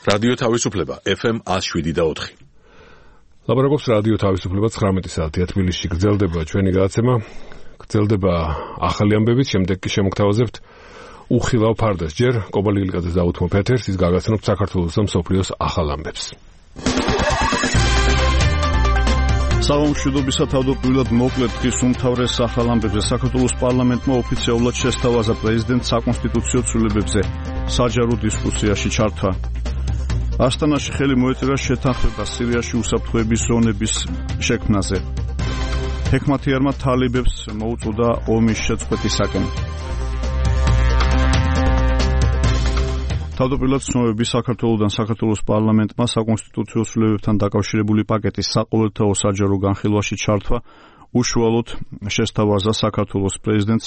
რადიო თავისუფლება FM 107.4. ლაპარაკობს რადიო თავისუფლება 19 საათია თბილისში. გრძელდება ჩვენი გადაცემა, გრძელდება ახალი ამბებით, შემდეგ კი შემოგთავაზებთ უხილავ ფარდას. ჯერ კობალილიკაძე დაუთმობ ეთერს, ის გაგაცნობთ საქართველოს და მსოფლიოს ახალ ამბებს. სამშვიდობისა თავდაპირველად მოკლედ დღის უმთავრეს ახალ ამბებზე. საქართველოს პარლამენტმა ოფიციალურად შესთავაზა პრეზიდენტს საკონსტიტუციო ცვლილებებზე. საჯარო დისკუსიაში ჩართვა. ასტანაში ხელი მოეწერა შეთანხმება სირიაში უსაფრთხოების ზონების შექმნაზე. ჰექმათიარმა თალიბებს მოუწოდა ომის შეწყვეტისაკენ. თავდაპირველად ცნობები საქართველოსთან საქართველოს პარლამენტმა საკონსტიტუციო ცვლილებებთან დაკავშირებული პაკეტის საყოველთაო საჯარო განხილვაში ჩართვა უშუალოდ შესთავაზა საქართველოს პრეზიდენტს.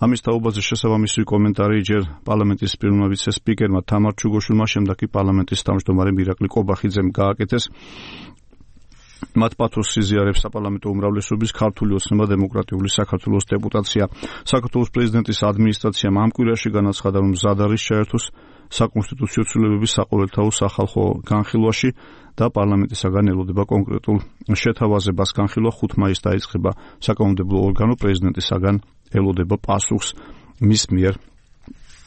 ამის თაობაზე შესაბამისი კომენტარი ჯერ პარლამენტის პირველმა ვიცე-სპიკერმა თამარ ჩუგოშვილმა, შემდეგ კი პარლამენტის თავმჯდომარემ ირაკლი კობახიძემ გააკეთეს. მათ პათოსს იზიარებს საპარლამენტო უმრავლესობის ქართული ოცნება დემოკრატიული საქართველოს დეპუტაცია. საქართველოს პრეზიდენტის ადმინისტრაციამ ამ კვირაში განაცხადა, რომ მზად არის ჩაერთოს საკონსტიტუციო ცვლილებების საყოველთაო სახალხო განხილვაში და პარლამენტისაგან ელოდება კონკრეტულ შეთავაზებას. განხილვა 5 მაისს დაიწყება. საკანონმდებლო ორგანო პრეზიდენტისაგან ელოდება პასუხს მის მიერ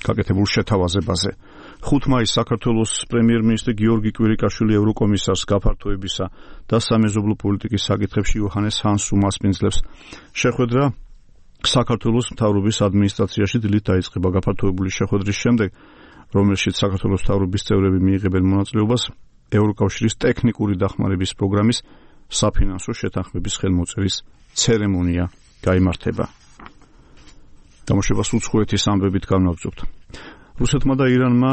გაკეთებულ შეთავაზებაზე. 5 მაისს საქართველოს პრემიერ-მინისტრი გიორგი კვირიკაშვილი ევროკომისარს გაფართოებისა და სამეზობლო პოლიტიკის საკითხებში იოჰანეს ჰანსს უმასპინძლებს. შეხვედრა საქართველოს მთავრობის ადმინისტრაციაში დილით დაიწყება. გაფართოებული შეხვედრის შემდეგ, რომელშიც საქართველოს მთავრობის წევრები მიიღებენ მონაწილეობას, ევროკავშირის ტექნიკური დახმარების პროგრამის საფინანსო შეთანხმების ხელმოწერის ცერემონია გაიმართება. გამოშვებას უცხოეთის ამბებით განვაგრძობთ. რუსეთმა და ირანმა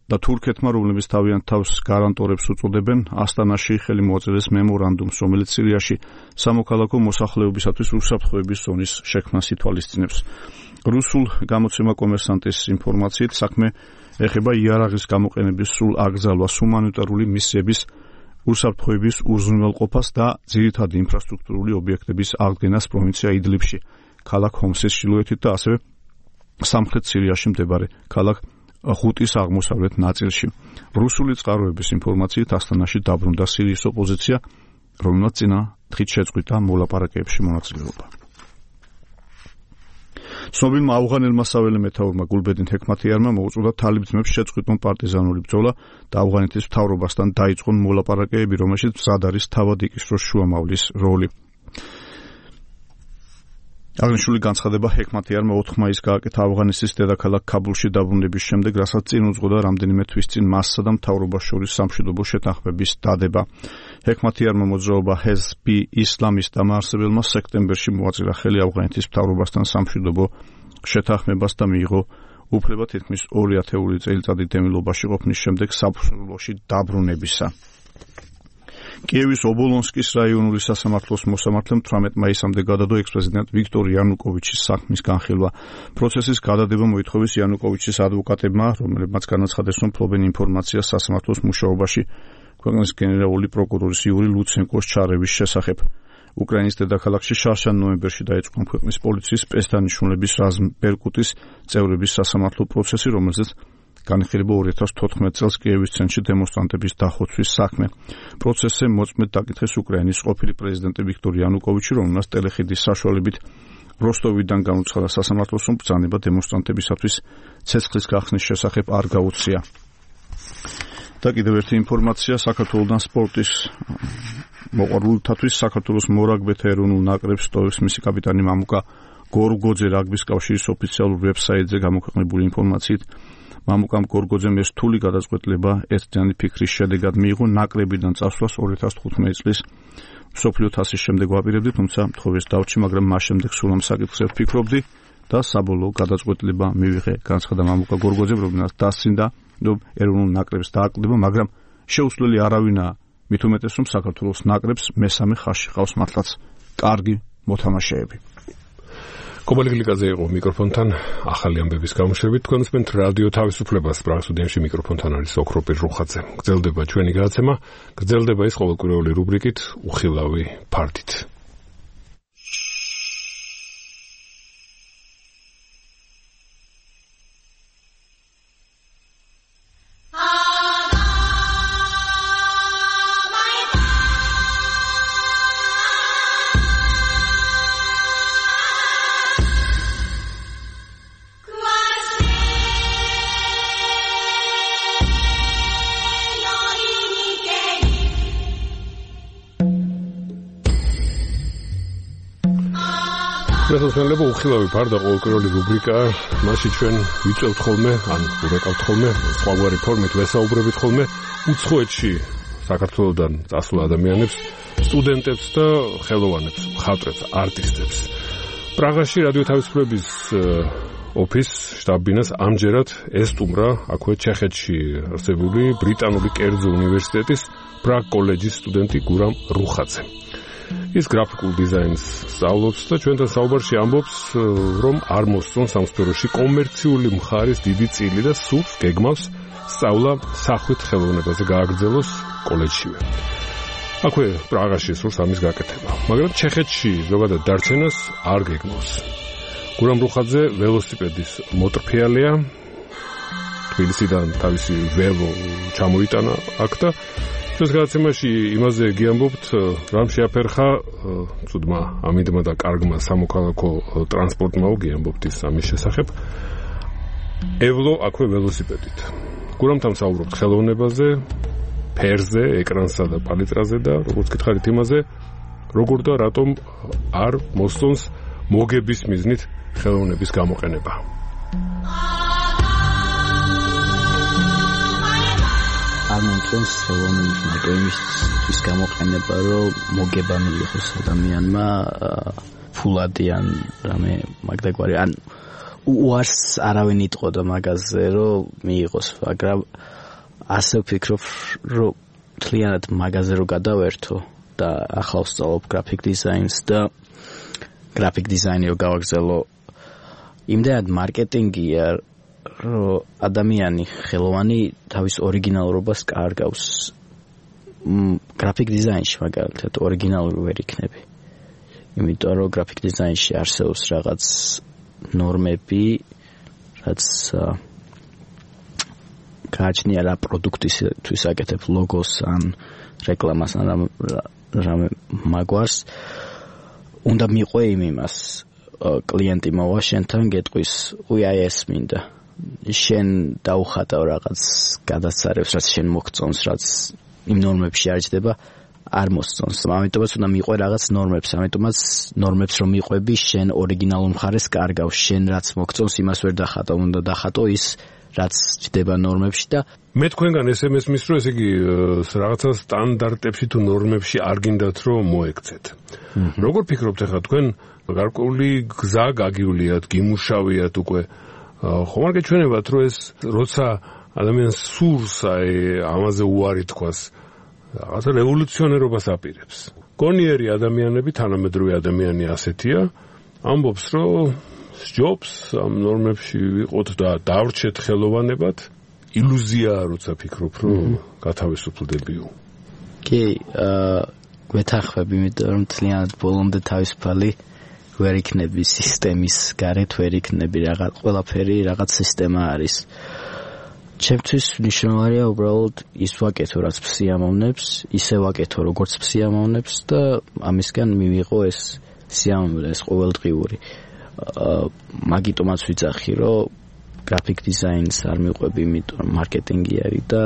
და თურქეთმა, რომლებიც თავიანთ თავს გარანტორებს უწოდებენ, ასტანაში ხელი მოაწერეს მემორანდუმს, რომელიც სირიაში სამოქალაქო მოსახლეობისათვის უსაფრთხოების ზონის შექმნას ითვალისწინებს. რუსულ გამოცემა კომერსანტის ინფორმაციით საქმე ეხება იარაღის გამოყენების სრულ აკრძალვას, ჰუმანიტარული მისიების უსაფრთხოების უზრუნველყოფას და ძირითადი ინფრასტრუქტურული ობიექტების აღდგენას პროვინცია იდლიბში, ქალაქ ჰომსის ჩრდილოეთით და ასევე სამხრეთ სირიაში მდებარე ქალაქ ხუტის აღმოსავლეთ ნაწილში. რუსული წყაროების ინფორმაციით ასტანაში დაბრუნდა სირიის ოპოზიცია, რომელმაც წინა დღით შეწყვიტა მოლაპარაკებებში მონაწილეობა. ცნობილმა ავღანელმა საველე მეთაურმა გულბედინ ჰექმათიარმა მოუწოდა თალიბ-ძმებს შეწყვიტონ პარტიზანული ბრძოლა და ავღანეთის მთავრობასთან დაიწყონ მოლაპარაკებები, რომელშიც მზად არის თავად იკისროს შუამავლის როლი. აღნიშნული განცხადება ჰექმათიარმა 4 მაისს გააკეთა ავღანეთის დედაქალაქ ქაბულში დაბრუნების შემდეგ, რასაც წინ უძღოდა რამდენიმე თვის წინ მასსა და მთავრობას შორის სამშვიდობო შეთანხმების დადება. ჰექმათიარმა მოძრაობა ჰეზბ ისლამის დამაარსებელმა სექტემბერში მოაწერა ხელი ავღანეთის მთავრობასთან სამშვიდობო შეთანხმებას და მიიღო უფლება თითქმის 2 ათეული წელიწადი დევნილობაში ყოფნის შემდეგ საბრძოლოში დაბრუნებისა. კიევის ობოლონსკის რაიონული სასამართლოს მოსამართლემ 18 მაისამდე გადადო ექს-პრეზიდენტ ვიქტორ იანუკოვიჩის საქმის განხილვა. პროცესის გადადება მოითხოვეს იანუკოვიჩის ადვოკატებმა, რომლებმაც განაცხადეს, რომ ფლობენ ინფორმაციას სასამართლოს მუშაობაში ქვეყნის გენერალური პროკურორის იური ლუცენკოს ჩარევის შესახებ. უკრაინის დედაქალაქში შარშან ნოემბერში დაიწყო ქვეყნის პოლიციის სპეცდანიშნულების რაზმ ბერკუტის წევრების სასამართლო პროცესი, რომელზეც განხილება 2014 წელს კიევის ცენტრში დემონსტრანტების დახოცვის საქმე. პროცესზე მოწმედ დაკითხეს უკრაინის ყოფილი პრეზიდენტი ვიქტორ იანუკოვიჩი, რომელმაც ტელეხიდის საშუალებით როსტოვიდან განუცხადა სასამართლოს, რომ ბრძანება დემონსტრანტებისათვის ცეცხლის გახსნის შესახებ არ გაუწია. და კიდევ ერთი ინფორმაცია საქართველოსთან სპორტის მოყვარულთათვის. საქართველოს მორაგბეთა ეროვნულ ნაკრებს სტოვებს მისი კაპიტანი მამუკა გორგოძე რაგბის კავშირის ოფიციალურ ვებსაიტზე გამოქვეყნებული ინფორმაციით, მამუკამ გორგოძემ რთული გადაწყვეტილება ერთდღიანი ფიქრის შედეგად მიიღო ნაკრებიდან წასვლას 2015 წლის მსოფლიო თასის შემდეგ ვაპირებდი, თუმცა მთხოვეს დავჭი, მაგრამ მას შემდეგ სულ ამ საკითხზე ვფიქრობდი და საბოლოო გადაწყვეტილება მივიღე, განცხადა მამუკა გორგოძემ, რომელმაც დასცინდა, რომ ეროვნულ ნაკრებს დააკლდება, მაგრამ შეუცვლელი არავინაა, მით უმეტეს, რომ საქართველოს ნაკრებს მესამე ხაზში ყავს მართლაც კარგი მოთამაშეები. კობალილიკაძე იყო მიკროფონთან ახალი ამბების გამოშვებით. თქვენ უსმენთ რადიო თავისუფლებას, სტრასბურგში მიკროფონთან არის ოქროპირ რუხაძე. გრძელდება ჩვენი გადაცემა, გრძელდება ის ყოველკვირეული რუბრიკით უხილავი ფართით. შესაძლებელი უხილავი ფარდა ყოველკვირეული რუბრიკა, მასში ჩვენ ვიწევთ ხოლმე, ან ვურეკავთ ხოლმე, სხვაგვარი ფორმით ვესაუბრებით ხოლმე უცხოეთში საქართველოსდან წასულ ადამიანებს, სტუდენტებს და ხელოვანებს, მხატვრებს, არტისტებს. პრაღაში რადიო თავისუფლების ოფის შტაბ-ბინას ამჯერად ესტუმრა აქვე ჩეხეთში არსებული ბრიტანული კერძო უნივერსიტეტის პრაღ კოლეჯის სტუდენტი გურამ რუხაძე. ის გრაფიკულ დიზაინს სწავლობს და ჩვენთან საუბარში ამბობს, რომ არ მოსწონს ამ სფეროში კომერციული მხარის დიდი წილი და სურს გეგმავს სწავლა სახვით ხელოვნებაზე გააგრძელოს კოლეჯშივე. აქვე პრაღაში სურს ამის გაკეთება, მაგრამ ჩეხეთში ზოგადად დარჩენას არ გეგმავს. გურამ რუხაძე ველოსიპედის მოტრფიალია, თბილისიდან თავისი ველო ჩამოიტანა აქ და ჩვენს გადაცემაში იმაზე გიამბობთ, რამ შეაფერხა ცუდმა ამინდმა და კარგმა სამოქალაქო ტრანსპორტმა გიამბობთ ის ამის შესახებ. ევლო აქვე ველოსიპედით. გურამთან საუბრობთ ხელოვნებაზე, ფერზე, ეკრანსა და პალიტრაზე და როგორც გითხარით იმაზე, როგორ და რატომ არ მოსწონს მოგების მიზნით ხელოვნების გამოყენება. არ მომწონს ხელოვნების მოდელისთვის გამოყენება, რომ მოგება მიიღოს ადამიანმა ფულადი ან რამე მაგდაგვარი, ან უარს არავინ იტყოდა მაგაზე, რომ მიიღოს, მაგრამ ასე ვფიქრობ, რომ მთლიანად მაგაზე რომ გადავერთო და ახლა ვსწავლობ გრაფიკ დიზაინს და გრაფიკ დიზაინი რომ გავაგრძელო, იმდენად მარკეტინგია, რომ ადამიანი ხელოვანი თავის ორიგინალურობას კარგავს. გრაფიკ დიზაინში მაგალითად ორიგინალური ვერ იქნები. იმიტომ რომ გრაფიკ დიზაინში არსებობს რაღაც ნორმები, რაც გააჩნია რა პროდუქტისთვის აკეთებ ლოგოს ან რეკლამას ან რამე მაგვარს. უნდა მიყვე იმას კლიენტი მოვა შენთან გეტყვის, უი ეს მინდა. შენ დაუხატავ რაღაც გადასწარებს, რაც შენ მოგწონს, რაც იმ ნორმებში არ ჯდება, არ მოსწონს. ამიტომაც უნდა მიყვე რაღაც ნორმებს, ამიტომაც ნორმებს რომ მიყვები, შენ ორიგინალურ მხარეს კარგავს, შენ რაც მოგწონს, იმას ვერ დახატო, უნდა დახატო ის, რაც ჯდება ნორმებში და მე თქვენგან SMS მის რომ ესე იგი რაღაცა სტანდარტებში თუ ნორმებში არ გინდათ რომ მოექცეთ. როგორ ფიქრობთ ახლა თქვენ გარკვეული გზა გაგიuliათ, გიმუშავიათ უკვე ხომ არ გეჩვენებათ რომ ეს როცა ადამიანს სურს აი ამაზე უარი თქვას რაღაცა რევოლუციონერობას აპირებს. გონიერი ადამიანები, თანამედროვე ადამიანი ასეთია, ამბობს რომ სჯობს ამ ნორმებში ვიყოთ და დავრჩეთ ხელოვანებად. ილუზია როცა ფიქრობ რომ გათავისუფლდებიო. კი, გვეთანხმები, იმიტომ რომ თლიანად ბოლომდე თავისუფალი ვერ იქნები სისტემის გარეთ, ვერ იქნები რაღაც ყველაფერი რაღაც სისტემა არის. ჩემთვის მნიშვნელოვანია უბრალოდ ის ვაკეთო, რაც სიამოვნებს, ისე ვაკეთო, როგორც სიამოვნებს და ამისგან მივიღო ეს სიამოვნება, ეს ყოველდღიური. მაგიტომაც ვიცახი, რომ გრაფიკ დიზაინს არ მიყვები, იმიტომ რომ მარკეტინგი არის და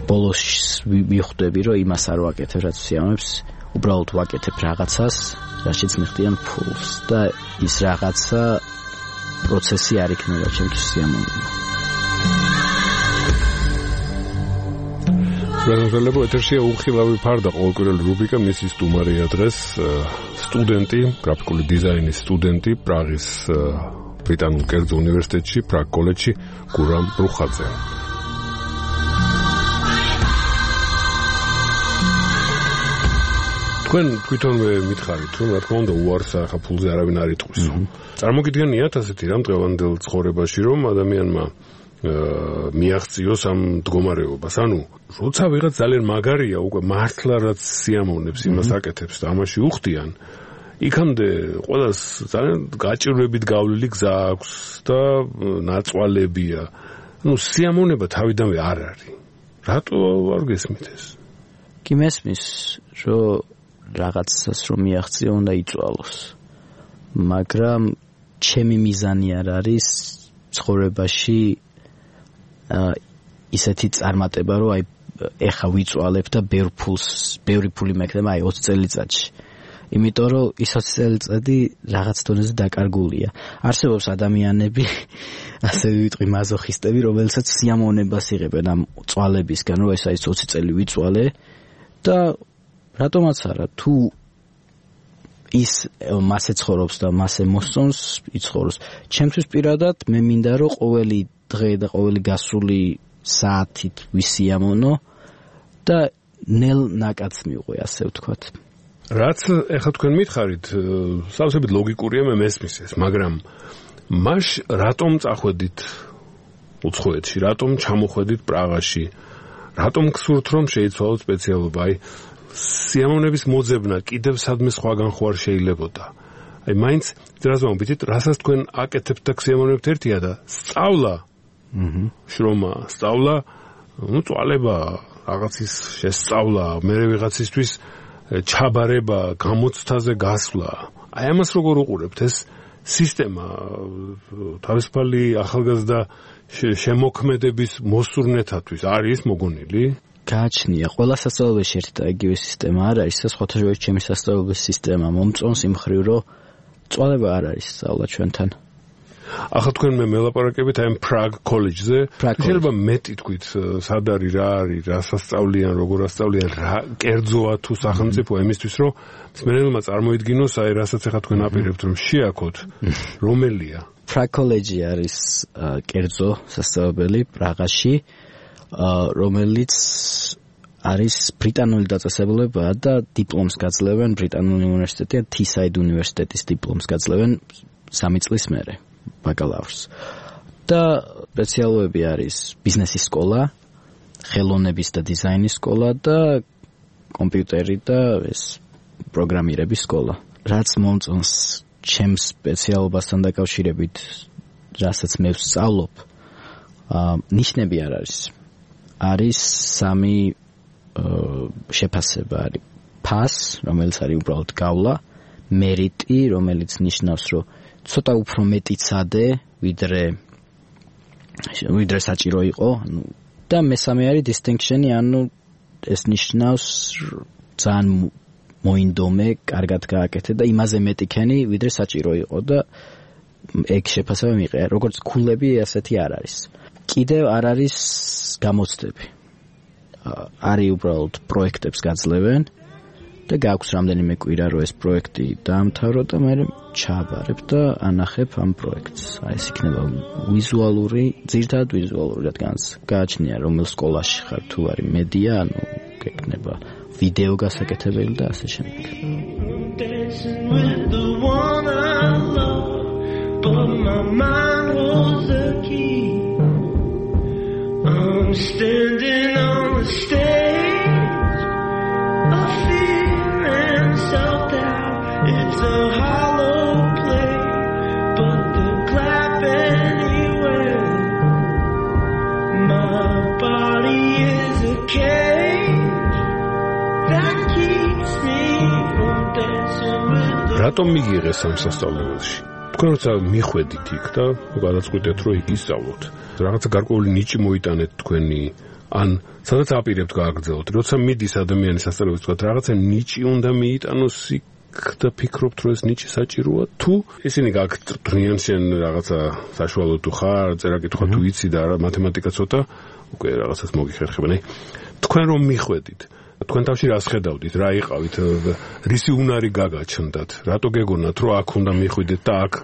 ბოლოს მიხვდები, რომ იმას არ ვაკეთებ, რაც სიამოვნებს, უბრალოდ ვაკეთებ რაღაცას, რაშიც მიხდიან ფულს და ის რაღაცა პროცესი არ იქნება ჩემთვის სიამოვნება. განსაკუთრებულ ეთერშია უხილავი ფარდა ყოველკვირეული რუბრიკა მისის სტუმარია დღეს სტუდენტი, გრაფიკული დიზაინის სტუდენტი პრაღის ბრიტანულ კერძო უნივერსიტეტში, პრაღ კოლეჯში გურამ რუხაძე. თქვენ თვითონვე მითხარით, რომ რა თქმა უნდა უარს ახლა ფულზე არავინ არ იტყვის. წარმოგიდგენიათ ასეთი რამ დღევანდელ ცხოვრებაში, რომ ადამიანმა მიაღწიოს ამ მდგომარეობას. ანუ როცა ვიღაც ძალიან მაგარია, უკვე მართლა რაც სიამოვნებს იმას აკეთებს და ამაში უხდიან, იქამდე ყველას ძალიან გაჭირვებით გავლილი გზა აქვს და ნაწვალებია. ანუ სიამოვნება თავიდანვე არ არის. რატო არ გესმით ეს? კი მესმის, რომ რაღაცას რომ მიაღწიო უნდა იწვალოს. მაგრამ ჩემი მიზანი არ არის ცხოვრებაში ისეთი წარმატება, რომ აი ეხა ვიწვალებ და ბევრი ფული მექნება აი 20 წელიწადში. იმიტომ რომ ის 20 წელიწადი რაღაც დონეზე დაკარგულია. არსებობს ადამიანები, ასე ვიტყვი მაზოხისტები, რომელსაც სიამოვნებას იღებენ ამ წვალებისგან, რომ ეს 20 წელი ვიწვალე და რატომაც არა, თუ ის მასე ცხოვრობს და მასე მოსწონს, იცხოვროს. ჩემთვის პირადად მე მინდა რომ ყოველი დღე და ყოველი გასული საათით ვისიამოვნო და ნელ ნაკადს მივყვე, ასე ვთქვათ. რაც ეხლა თქვენ მითხარით, სავსებით ლოგიკურია, მე მესმის ეს, მაგრამ მაშ რატომ წახვედით უცხოეთში, რატომ ჩამოხვედით პრაღაში, რატომ გსურთ რომ შეიცვალოთ სპეციალობა? აი სიამოვნების მოძებნა კიდევ სადმე სხვაგან ხო არ შეიძლებოდა. აი მაინც ძრაზმა ვიტყვით, რასაც თქვენ აკეთებთ და გსიამოვნებთ ერთია და სწავლა, შრომა, სწავლა, წვალება, რაღაცის შესწავლა, მე ვიღაცისთვის ჩაბარება, გამოცდაზე გასვლა. აი ამას როგორ უყურებთ? ეს სისტემა თავისუფალი ახალგაზრდა შემოქმედების მოსურნეთათვის არის მოგონილი? გააჩნია, ყველა სასწავლებელში ერთი და იგივე სისტემა არ არის, სხვათა შორის ჩემი სასწავლებლის სისტემა მომწონს იმ ხრივ, რომ წვალება არ არის სწავლა ჩვენთან. ახლა თქვენ მე მელაპარაკებით აი Prague College-ზე. შეიძლება მეტი თქვით, სად არის, რა არის, რა სასწავლიან, როგორ ასწავლიან, რა კერძოა თუ სახელმწიფო იმისთვის, რომ მსმენელმა წარმოიდგინოს, აი რასაც ახლა თქვენ აპირებთ, რომ შეაქოთ, რომელია? Prague College არის კერძო სასწავლებელი პრაღაში, რომელიც არის ბრიტანული დაწესებულება და დიპლომს გაძლევენ ბრიტანული უნივერსიტეტი და Teesside უნივერსიტეტის დიპლომს გაძლევენ 3 წლის მერე. ბაკალავრს. და სპეციალობები არის ბიზნესის სკოლა, ხელოვნების და დიზაინის სკოლა და კომპიუტერი და ეს პროგრამირების სკოლა. რაც მომწონს ჩემს სპეციალობასთან დაკავშირებით, რასაც მე ვსწავლობ, ნიშნები არ არის. არის 3 შეფასება არის. PASS, რომელიც არის უბრალოდ გავლა, მერიტი, რომელიც ნიშნავს, რომ ცოტა უფრო მეტიცადე, ვიდრე საჭირო იყო, და მესამე არის distinction-ი, ანუ ეს ნიშნავს ძალიან მოინდომე, კარგად გააკეთე და იმაზე მეტი ქენი, ვიდრე საჭირო იყო და ეგ შეფასება მიიღე. როგორც ქულები, ასეთი არ არის. კიდევ არ არის გამოცდები. არის უბრალოდ პროექტებს გაძლევენ და გაქვს რამდენიმე კვირა რომ ეს პროექტი დაამთავრო და მე ჩააბარებ და ანახებ ამ პროექტს. აი ეს იქნება ვიზუალური, ძირითადად ვიზუალური, რადგანაც გააჩნია რომელ სკოლაში ხარ, თუ არის მედია, ანუ გეკნება ვიდეო გასაკეთებელი და ასე შემდეგ. I'm standing on the stage of fear and self-doubt. It's a hollow play, but they'll clap anyway. My body is a cage that keeps me from dancing with the... Ratom migires am სასწავლებელში? თქვენ როცა მიხვედით იქ და გადაწყვიტეთ რომ იქ ისწავლოთ, რაღაცა გარკვეული ნიჭი მოიტანეთ თქვენი, ან სადაც აპირებთ გააგრძელოთ, როცა მიდის ადამიანი სასწავლებელში, თქვათ რაღაცა ნიჭი უნდა მიიტანოს იქ და ფიქრობთ რომ ეს ნიჭი საჭიროა, თუ ისინი გაგტრიან შენ რაღაცა საშუალო თუ ხარ, წერა-კითხვა თუ იცი და მათემატიკა ცოტა, უკვე რაღაცას მოგიხერხებენ. აი თქვენ რომ მიხვედით, თქვენ თავში რას ხედავდით, რა იყავით, რისი უნარი გაგაჩნდათ, რატო გეგონათ რომ აქ უნდა მიხვიდეთ და აქ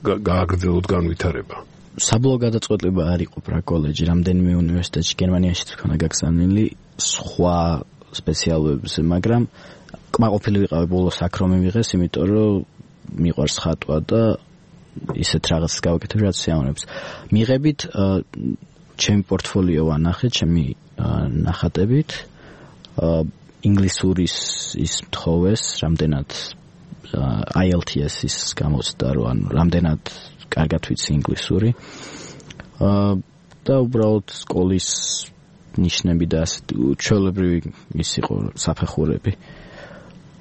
გააგრძელოთ განვითარება? საბოლოო გადაწყვეტილება არ იყო Prague College, რამდენიმე უნივერსიტეტში გერმანიაშიც ქონა გაგზავნილი სხვა სპეციალობებზე, მაგრამ კმაყოფილი ვიყავი ბოლოს აქ რომ მივიღეს, იმიტომ რომ მიყვარს ხატვა და ისეთ რაღაცას გავაკეთებ, რაც სიამოვნებს. მიღებით ჩემი პორტფოლიო ვანახე, ჩემი ნახატებით, ინგლისურის ის მთხოვეს, რამდენად IELTS-ის გამოცდა, რომ რამდენად კარგად ვიცი ინგლისური. და უბრალოდ სკოლის ნიშნები და ჩვეულებრივი ის იყო საფეხურები.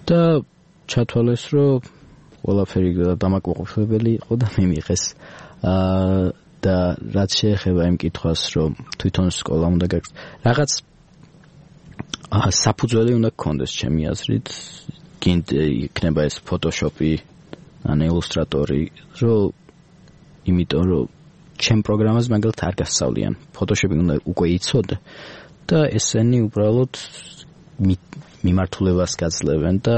და ჩათვალეს, რომ ყველაფერი დამაკმაყოფილებელი იყო და მიმიღეს. და რაც შეეხება იმ კითხვას, რომ თვითონ სკოლა უნდა გაგრძელოს, რაღაც საფუძველი უნდა გქონდეს ჩემი აზრით, იქნება ეს Photoshop-ი ან Illustrator-ი, რომ იმიტომ რომ ჩემ პროგრამას მაგალითად არ გასწავლიან. Photoshop-ი უნდა უკვე იცოდე და ესენი უბრალოდ მიმართულებას გაძლევენ და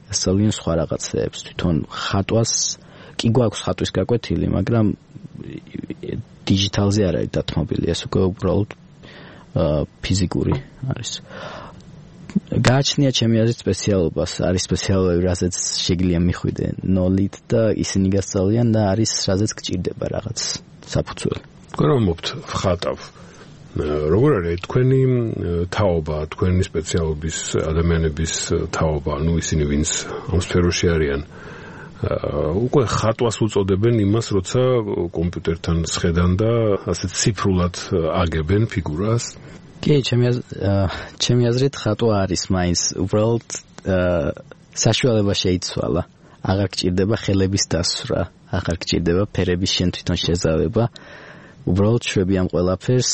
გასწავლიან სხვა რაღაცებს. თვითონ ხატვას კი გვაქვს ხატვის გაკვეთილი, მაგრამ დიჯიტალზე არ არის დათმობილი, ეს უკვე უბრალოდ ფიზიკური არის. გააჩნია ჩემი აზრით სპეციალობას, არის სპეციალობები, რასაც შეგიძლია მიხვიდე ნოლით და ისინი გასწავლიან და არის რასაც გჭირდება რაღაც საფუძველი. გრომობთ ხატავ. როგორ არის თქვენი თაობა, თქვენი სპეციალობის ადამიანების თაობა, ну ისინი ვინც ამ სფეროში არიან? უკვე ხატვას უწოდებენ იმას, როცა კომპიუტერთან სხედან და ასე ციფრულად აგებენ ფიგურას. კი, ჩემი აზრით ხატვა არის მაინც უბრალოდ საშუალება შეიცვალა. აღარ გჭირდება ხელების დასვრა, აღარ გჭირდება ფერების შენ თვითონ შეზავება. უბრალოდ შვები ამ ყველაფერს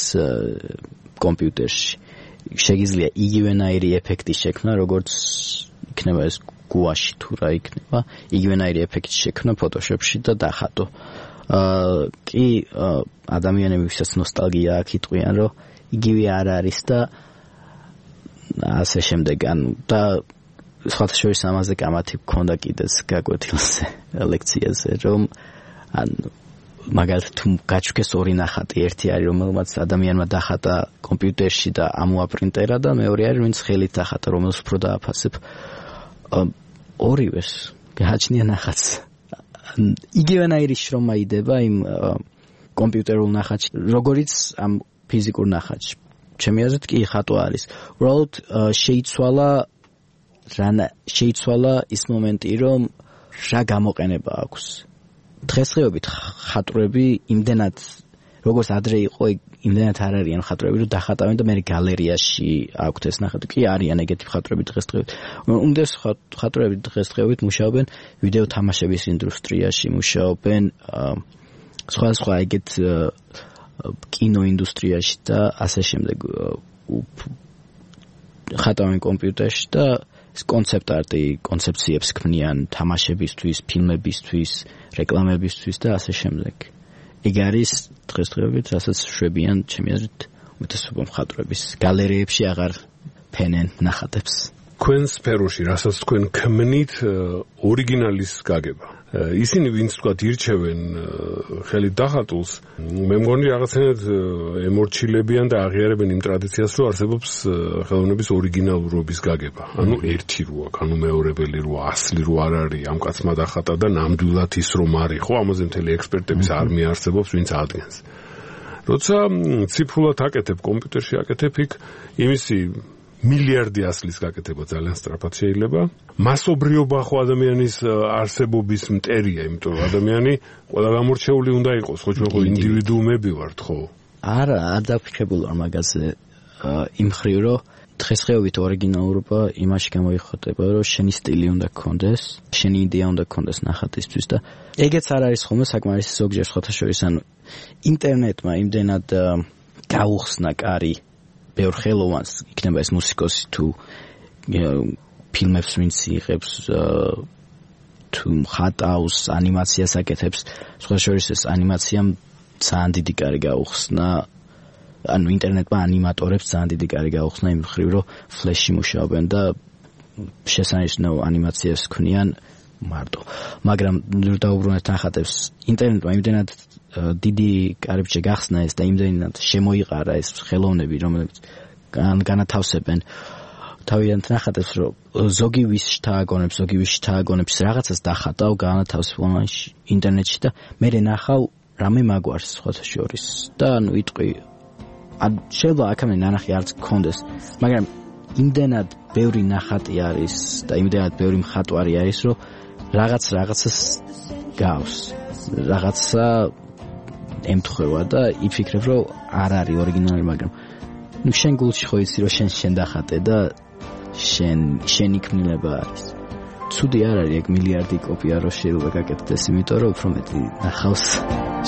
კომპიუტერში. შეგიძლია იგივენაირი ეფექტი შექმნა, როგორც იქნება ეს გუაში თუ რა იქნება, იგივენაირი ეფექტი შექმნა Photoshop-ში და დახატო. კი, ადამიანები ვისაც ნოსტალგია აქვს იტყვიან, რომ იგივე არ არის და ასე შემდეგ, და სხვათა შორის ამაზე კამათი გქონდა კიდეც გაკვეთილზე, ლექციაზე, რომ მაგალითად თუ გაჩვქეს ორი ნახატი, ერთი არის რომელმაც ადამიანმა დახატა კომპიუტერში და ამოაპრინტერა და მეორე არის ვინც ხელით დახატა, რომელს უფრო დააფასებ. ორივეს გააჩნია ნახატს. იგივენაირი შრომა იდება იმ კომპიუტერულ ნახატში, როგორიც ამ ფიზიკურ ნახატში. ჩემი აზრით კი ხატვა არის. უბრალოდ შეიცვალა ის მომენტი, რომ რა გამოყენება აქვს. დღესდღეობით ხატრები იმდენად როგორც ადრე იყო, იმდენად არ არიან ხატრები, რომ დახატავენ და მე გალერეაში აქვთ ეს ნახატი. კი არიან ეგეთი ხატრები დღესდღეობით. უმდევს ხატრები დღესდღეობით მუშაობენ ვიდეო თამაშების ინდუსტრიაში, მუშაობენ სხვა ეგეთ კინოინდუსტრიაში და ასე შემდეგ. ხატავენ კომპიუტერში და კონცეპტ არტი, კონცეფციებს ქმნიან თამაშებისთვის, ფილმებისთვის, რეკლამებისთვის და ასე შემდეგ. ეგ არის დღესდღეობით, რასაც შვებიან, ჩემი აზრით, უმეტესობა მხატვრების გალერეებში აღარ ფენენ ნახატებს. თქვენ სფეროში, რასაც თქვენ ქმნით, ორიგინალის გაგება. ისინი ვინც თქვათ ირჩევენ ხელით დახატულს, მე მგონი რაღაცნაირად ემორჩილებიან და აღიარებენ იმ ტრადიციას, რომ არსებობს ხელოვნების ორიგინალურობის გაგება. ანუ ერთი რო აქვს, ანუ მეორებელი რო, ასლი რო არ არის, ამ კაცმა დახატა და ნამდვილად ის რომ არის, ხო, ამაზე მთელი ექსპერტების არმია არსებობს, ვინც ადგენს. როცა ციფრულად აკეთებ, კომპიუტერში აკეთებ, იქ იმისი მილიარდი ასლის გაკეთება ძალიან სწრაფად შეიძლება. მასობრიობა ხო ადამიანის არსებობის მტერია, იმიტომ რომ ადამიანი ყველა გამორჩეული უნდა იყოს, ხო ჩვენ ხო ინდივიდუუმები ვართ, ხო? არა, არ დაფიქრებულ ვარ მაგაზე იმ ხრივ, რომ დღესდღეობით ორიგინალურობა იმაში გამოიხატება, რომ შენი სტილი უნდა გქონდეს, შენი იდეა უნდა გქონდეს ნახატისთვის და ეგეც არ არის ხოლმე საკმარისი ზოგჯერ სხვათა შორის, ანუ ინტერნეტმა იმდენად გაუხსნა კარი ბევრ ხელოვანს, იქნება ეს მუსიკოსი თუ ფილმებს ვინც იღებს, თუ ხატავს, ანიმაციას აკეთებს, სხვა შორის ეს ანიმაციამ ძალიან დიდი კარი გაუხსნა, ანუ ინტერნეტმა ანიმატორებს ძალიან დიდი კარი გაუხსნა იმ ხრივ, რომ ფლეში მუშაობენ და შესანიშნავ ანიმაციას ქმნიან მარტო. მაგრამ დაუბრუნეთ ნახატებს, ინტერნეტმა იმდენად დიდი კარიბჭე გახსნა ეს და იმდენად შემოიყარა ეს ხელოვნები, რომლებიც განათავსებენ თავიანთ ნახატებს, რომ ზოგი ვის შთააგონებს რაღაცას დახატავ, განათავსებ ინტერნეტში და მე ნახავ რამე მაგვარს სხვათა შორის და ანუ იტყვი შეიძლება აქამდე ნანახი არც გქონდეს, მაგრამ იმდენად ბევრი ნახატი არის და იმდენად ბევრი მხატვარი არის, რომ რაღაცას გავს, რაღაცა ემთხვევა და იფიქრებ, რომ არ არის ორიგინალი, მაგრამ შენ გულში ხო იცი, რომ შენ დახატე და შენი ქმნილება არის. ცუდი არ არის ეგ მილიარდი კოპია რო შეიძლება გაკეთდეს, იმიტომ რომ უფრო მეტი ნახავს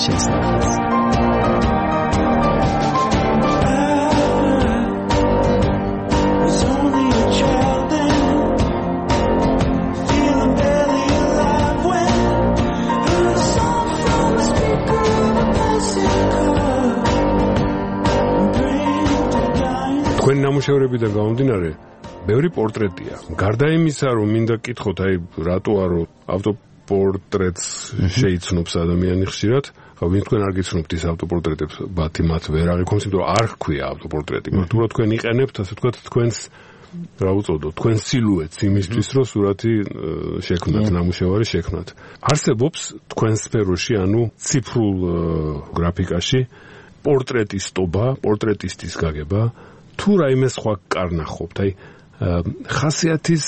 შენს ნახატს. ნამუშევრებიდან გამომდინარე ბევრი პორტრეტია. გარდა იმისა, რომ მინდა კითხოთ, რატო არო ავტოპორტრეტს შეიცნობს ადამიანი ხშირად, ვინ თქვენ არ გიცნობთ ის ავტოპორტრეტებს, ბათი მათ ვერ აღიქონს, იმიტომ რომ არ ჰქვია ავტოპორტრეტი. მარტო თქვენ იყენებთ, ასე ვთქვათ, თქვენს რა უწოდოთ, თქვენ სილუეტს იმისთვის, რომ სურათი შექმნათ, ნამუშევარი შექმნათ. არსებობს თქვენ სფეროში, ანუ ციფრულ გრაფიკაში პორტრეტის ტობა, პორტრეტისტის გაგება, თუ რაიმე სხვა კარნახობთ, ხასიათის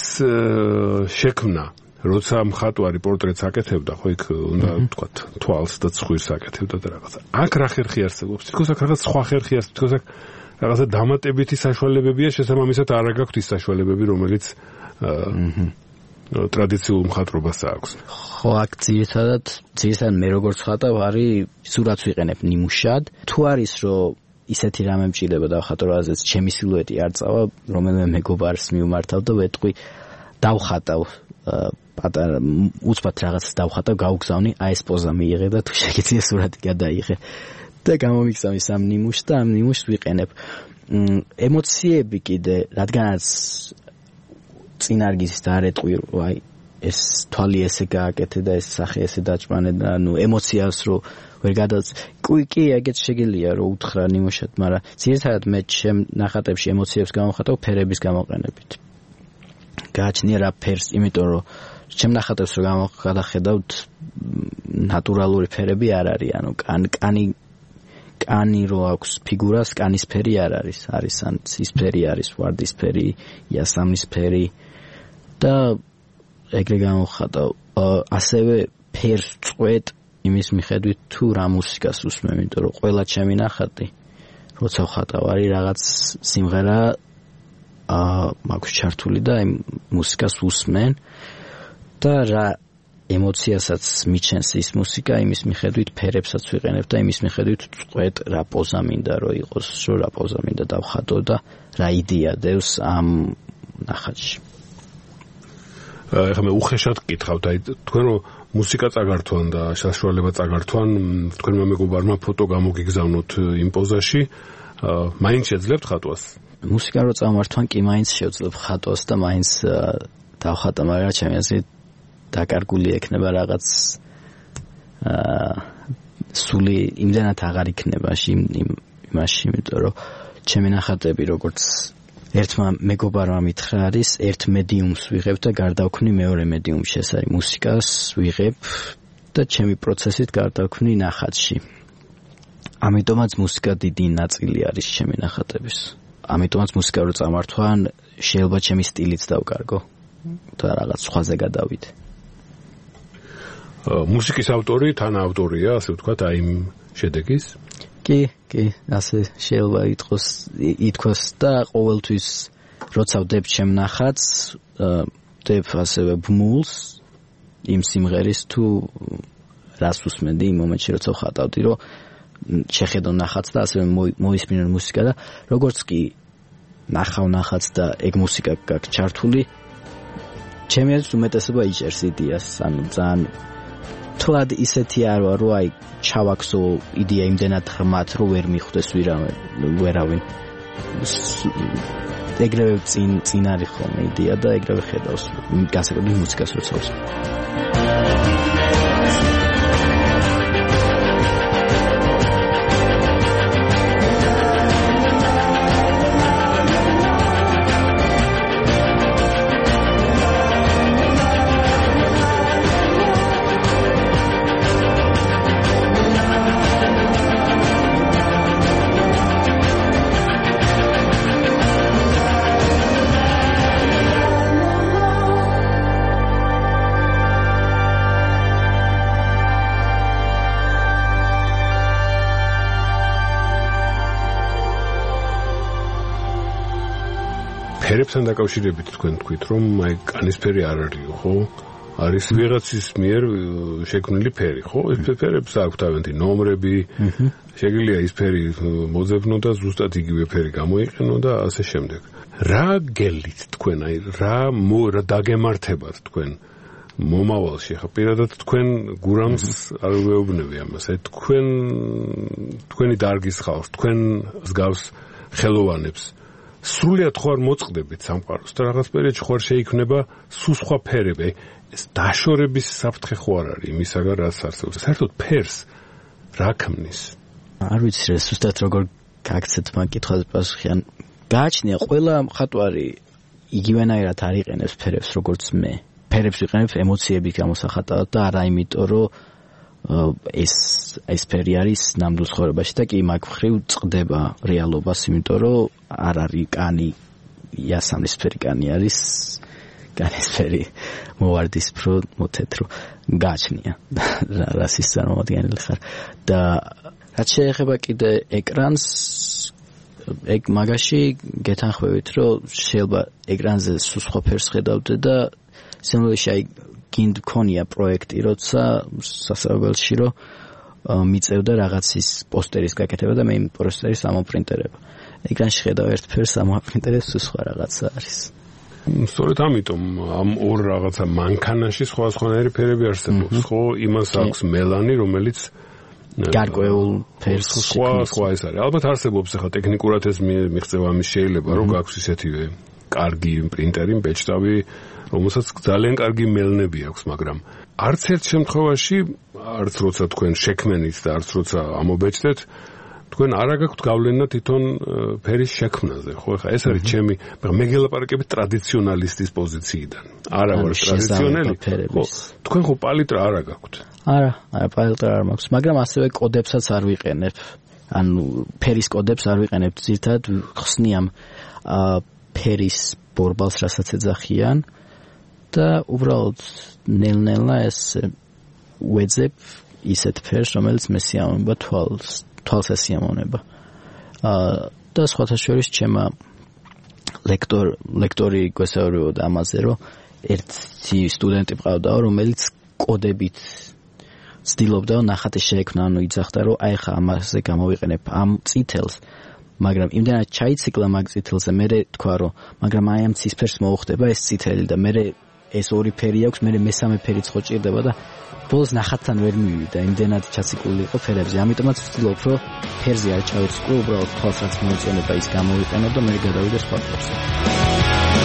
შექმნა, როცა მხატვარი პორტრეტს აკეთებდა, ხო იქ უნდა ვთქვათ, თვალს და ცხვირს აკეთებდა და რაღაცა. აქ რა ხერხი არსებობს? თითქოს აქ რაღაც სხვა ხერხი არსებობს, თითქოს აქ რაღაცა დამატებითი საშუალებებია, შესაბამისად არ გაქვთ ის საშუალებები, რომელიც ტრადიციულ მხატვრობას აქვს. ხო, აქ ძირითადად მე როგორც ხატავ არის სურათს ვიყენებ ნიმუშად. თუ არის რომ ისეთი რამე მჭირდება დავხატო, რაზეც ჩემი სილუეტი არ წავა, რომელიმე მეგობარს მივმართავ და ვეტყვი დავხატავ პატარა უცბად რაღაცას დავხატავ, გავგზავნი, ეს პოზა მიიღე და თუ შეგიძლია სურათი გადაიღე. და გამომიგზავნი სამ ნიმუშს და ამ ნიმუშს ვიყენებ. ემოციები კიდე, რადგანაც წინ არ გიზის და არ ეტყვი, ეს თვალი ესე გააკეთე და ეს სახე ესე დაჭმანე და ემოციას რო ვერ გადაც. კი, ეგეც შეგიძლია რომ უთხრა ნიმუშად, მაგრამ ძირითადად მე ჩემ ნახატებში ემოციებს გამოვხატავ ფერების გამოყენებით. გააჩნია რა ფერს, იმიტომ რომ ჩემ ნახატებს რო გადახედავთ, ნატურალური ფერები არ არის, ანუ კანი რო აქვს ფიგურას, კანის ფერი არ არის, არის ან ცისფერი არის, ვარდისფერი, იასამნისფერი და ეგრე გამოვხატავ. ასევე ფერს წყვეტ იმის მიხედვით თუ რა მუსიკას უსმენ, იმიტომ რომ ყველა ჩემი ნახატი როცა ვხატავ არის რაღაც სიმღერა მაქვს ჩართული და იმ მუსიკას უსმენ და რა ემოციასაც მიჩენს ის მუსიკა, იმის მიხედვით ფერებსაც ვიყენებ და იმის მიხედვით წყვეტ რა პოზა მინდა რომ იყოს, რა პოზა მინდა დავხატო და რა იდეა დევს ამ ნახატში. ეხლა მე უხეშად გკითხავთ, თქვენ რომ მუსიკა წაგართვან და საშუალება წაგართვან, თქვენმა მეგობარმა ფოტო გამოგიგზავნოთ იმ პოზაში, მაინც შეძლებთ ხატვას? მუსიკა რო წამართვან კი მაინც შევძლებ ხატვას და მაინც დავხატა, მაგრამ ჩემი აზრით დაკარგული ექნება რაღაც სული იმდანაც აღარ იქნება იმაში, იმიტომ რომ ჩემი ნახატები როგორც ერთმა მეგობარმა მითხრა არის, ერთ მედიუმს ვიღებ და გარდავქმნი მეორე მედიუმში, ეს არის მუსიკას ვიღებ და ჩემი პროცესით გარდავქმნი ნახატში. ამიტომაც მუსიკა დიდი ნაწილი არის ჩემი ნახატების. ამიტომაც მუსიკა რო წამართვან, შეიძლება ჩემი სტილიც დავკარგო და რაღაც სხვაზე გადავიდე. მუსიკის ავტორი, თანაავტორია, ასე ვთქვათ, იმ შედეგის? კი, ასე შეიძლება ითქვას და ყოველთვის როცა ვდებ ჩემ ნახატს, ვდებ ასევე ბმულს იმ სიმღერის თუ რას უსმენდი იმ მომენტში, როცა ვხატავდი, რომ შეხედო ნახატს და ასევე მოისმინო მუსიკა და როგორც კი ნახავ ნახატს და ეგ მუსიკა გაქვს ჩართული, ჩემი აზრით უმეტესობა იჭერს იდეას, ანუ ძალიან თვად ისეთი არ ვარ, რომ ჩავაქსო იდეა იმდენად ღრმად, რომ ვერ მიხვდეს ვერავინ. ეგრევე წინ არის ხოლმე იდეა და ეგრევე ხედავს განსაკუთრებით მუსიკას როცა უსმენ. ფერებთან დაკავშირებით თქვენ თქვით, რომ კანისფერი არ არისო, ხო? არის ვიღაცის მიერ შექმნილი ფერი, ხო? ეს ფერებს აქვს თავიანთი ნომრები, შეგიძლია ის ფერი მოძებნო და ზუსტად იგივე ფერი გამოიყენო და ასე შემდეგ. რა გელით თქვენ, რა დაგემართებათ თქვენ მომავალში, ხა პირადად თქვენ გურამს არ ვეუბნები ამას, თქვენი დარგის ხალხს, თქვენ მსგავს ხელოვანებს სრულიად ხო არ მოწყდებით სამყაროს და რაღაც პერიოდში ხო არ შეიქმნება სულ სხვა ფერები. ეს დაშორების საფრთხე ხო არ არის იმისაგან რაც არსებობს. საერთოდ ფერს რა ქმნის? არ ვიცი რა ზუსტად როგორ გაგცეთ მაგ კითხვაზე პასუხი. ან გააჩნია ყველა მხატვარი იგივენაირად არ იყენებს ფერებს როგორც მე. ფერებს იყენებს ემოციების გამოსახატავად და არა იმიტომ რომ ეს ფერი არის ნამდვილ ცხოვრებაში და კი მაგ მხრივ წყდება რეალობას, იმიტომ რომ არ არის კანი იასამნისფერი კანი არის განისფერი მოვარდისფრო მოთეთრო გააჩნია რას ის წარმოადგენელი ხარ და რაც შეეხება კიდე ეკრანს ეგ მაგაში გეთანხმებით რომ შეიძლება ეკრანზე სულ სხვა ფერს ხედავდე და სინამდვილეში აი გინდ ქონია პროექტი როცა სასწავლებელში რომ მიწევდა რაღაცის პოსტერის გაკეთება და მე იმ პოსტერის ამოპრინტერება ეკრანში ხედავ ერთ ფერს ამოპრინტერებს სულ სხვა რაღაცა არის სწორედ ამიტომ ამ ორ რაღაცა მანქანაში სხვადასხვანაირი ფერები არსებობს ხო იმას აქვს მელანი რომელიც გარკვეულ ფერს სხვა ეს არის ალბათ არსებობს ახლა ტექნიკურად ეს მიღწევა ამის შეიძლება რომ გაქვს ისეთივე კარგი პრინტერი ბეჭდავი რომელსაც ძალიან კარგი მელნები აქვს მაგრამ არც ერთ შემთხვევაში არც როცა თქვენ შექმენით და არც როცა ამობეჭდეთ თქვენ არ აგაქვთ გავლენა თვითონ ფერის შექმნაზე ხო ხა ეს არის ჩემი მე გელაპარაკებით ტრადიციონალისტის პოზიციიდან არა ვარ ტრადიციონალი ხო თქვენ ხო პალიტრა არ აგაქვთ არა პალიტრა არ მაქვს მაგრამ ასევე კოდებსაც არ ვიყენებ ანუ ფერის კოდებს არ ვიყენებ ზირთად ხსნიამ ფერის ბორბალს რასაც ეძახიან და უბრალოდ ნელ-ნელა ეს ვეძებ ისეთ ფერს რომელიც მე სიამოვნება თვალს ესიამოვნება და სხვათა შორის ჩემა ლექტორი გვესაუბრებოდა ამაზე რომ ერთი სტუდენტი მყავდა რომელიც კოდებით ცდილობდა ნახატი შეექმნა ანუ იძახდა რომ აი ხა ამაზე გამოვიყენებ ამ წითელს მაგრამ იმდენად ჩაიციკლა მაგ წითელზე მე თქვა რომ მაგრამ აი ამ ცისფერს მოუხდება ეს წითელი და მე ეს ორი ფერი აქვს მე მესამე ფერიც ხო ჭირდება და ბოლოს ნახატთან ვერ მივიდა იმდენად ჩაციკული იყო ფერებზე ამიტომაც ვცდილობ რომ ფერზე არ ჩავეციკო უბრალოდ თვალს რაც მოეწონება ის გამოვიყენო და მე გადავიდე სხვა ფერზე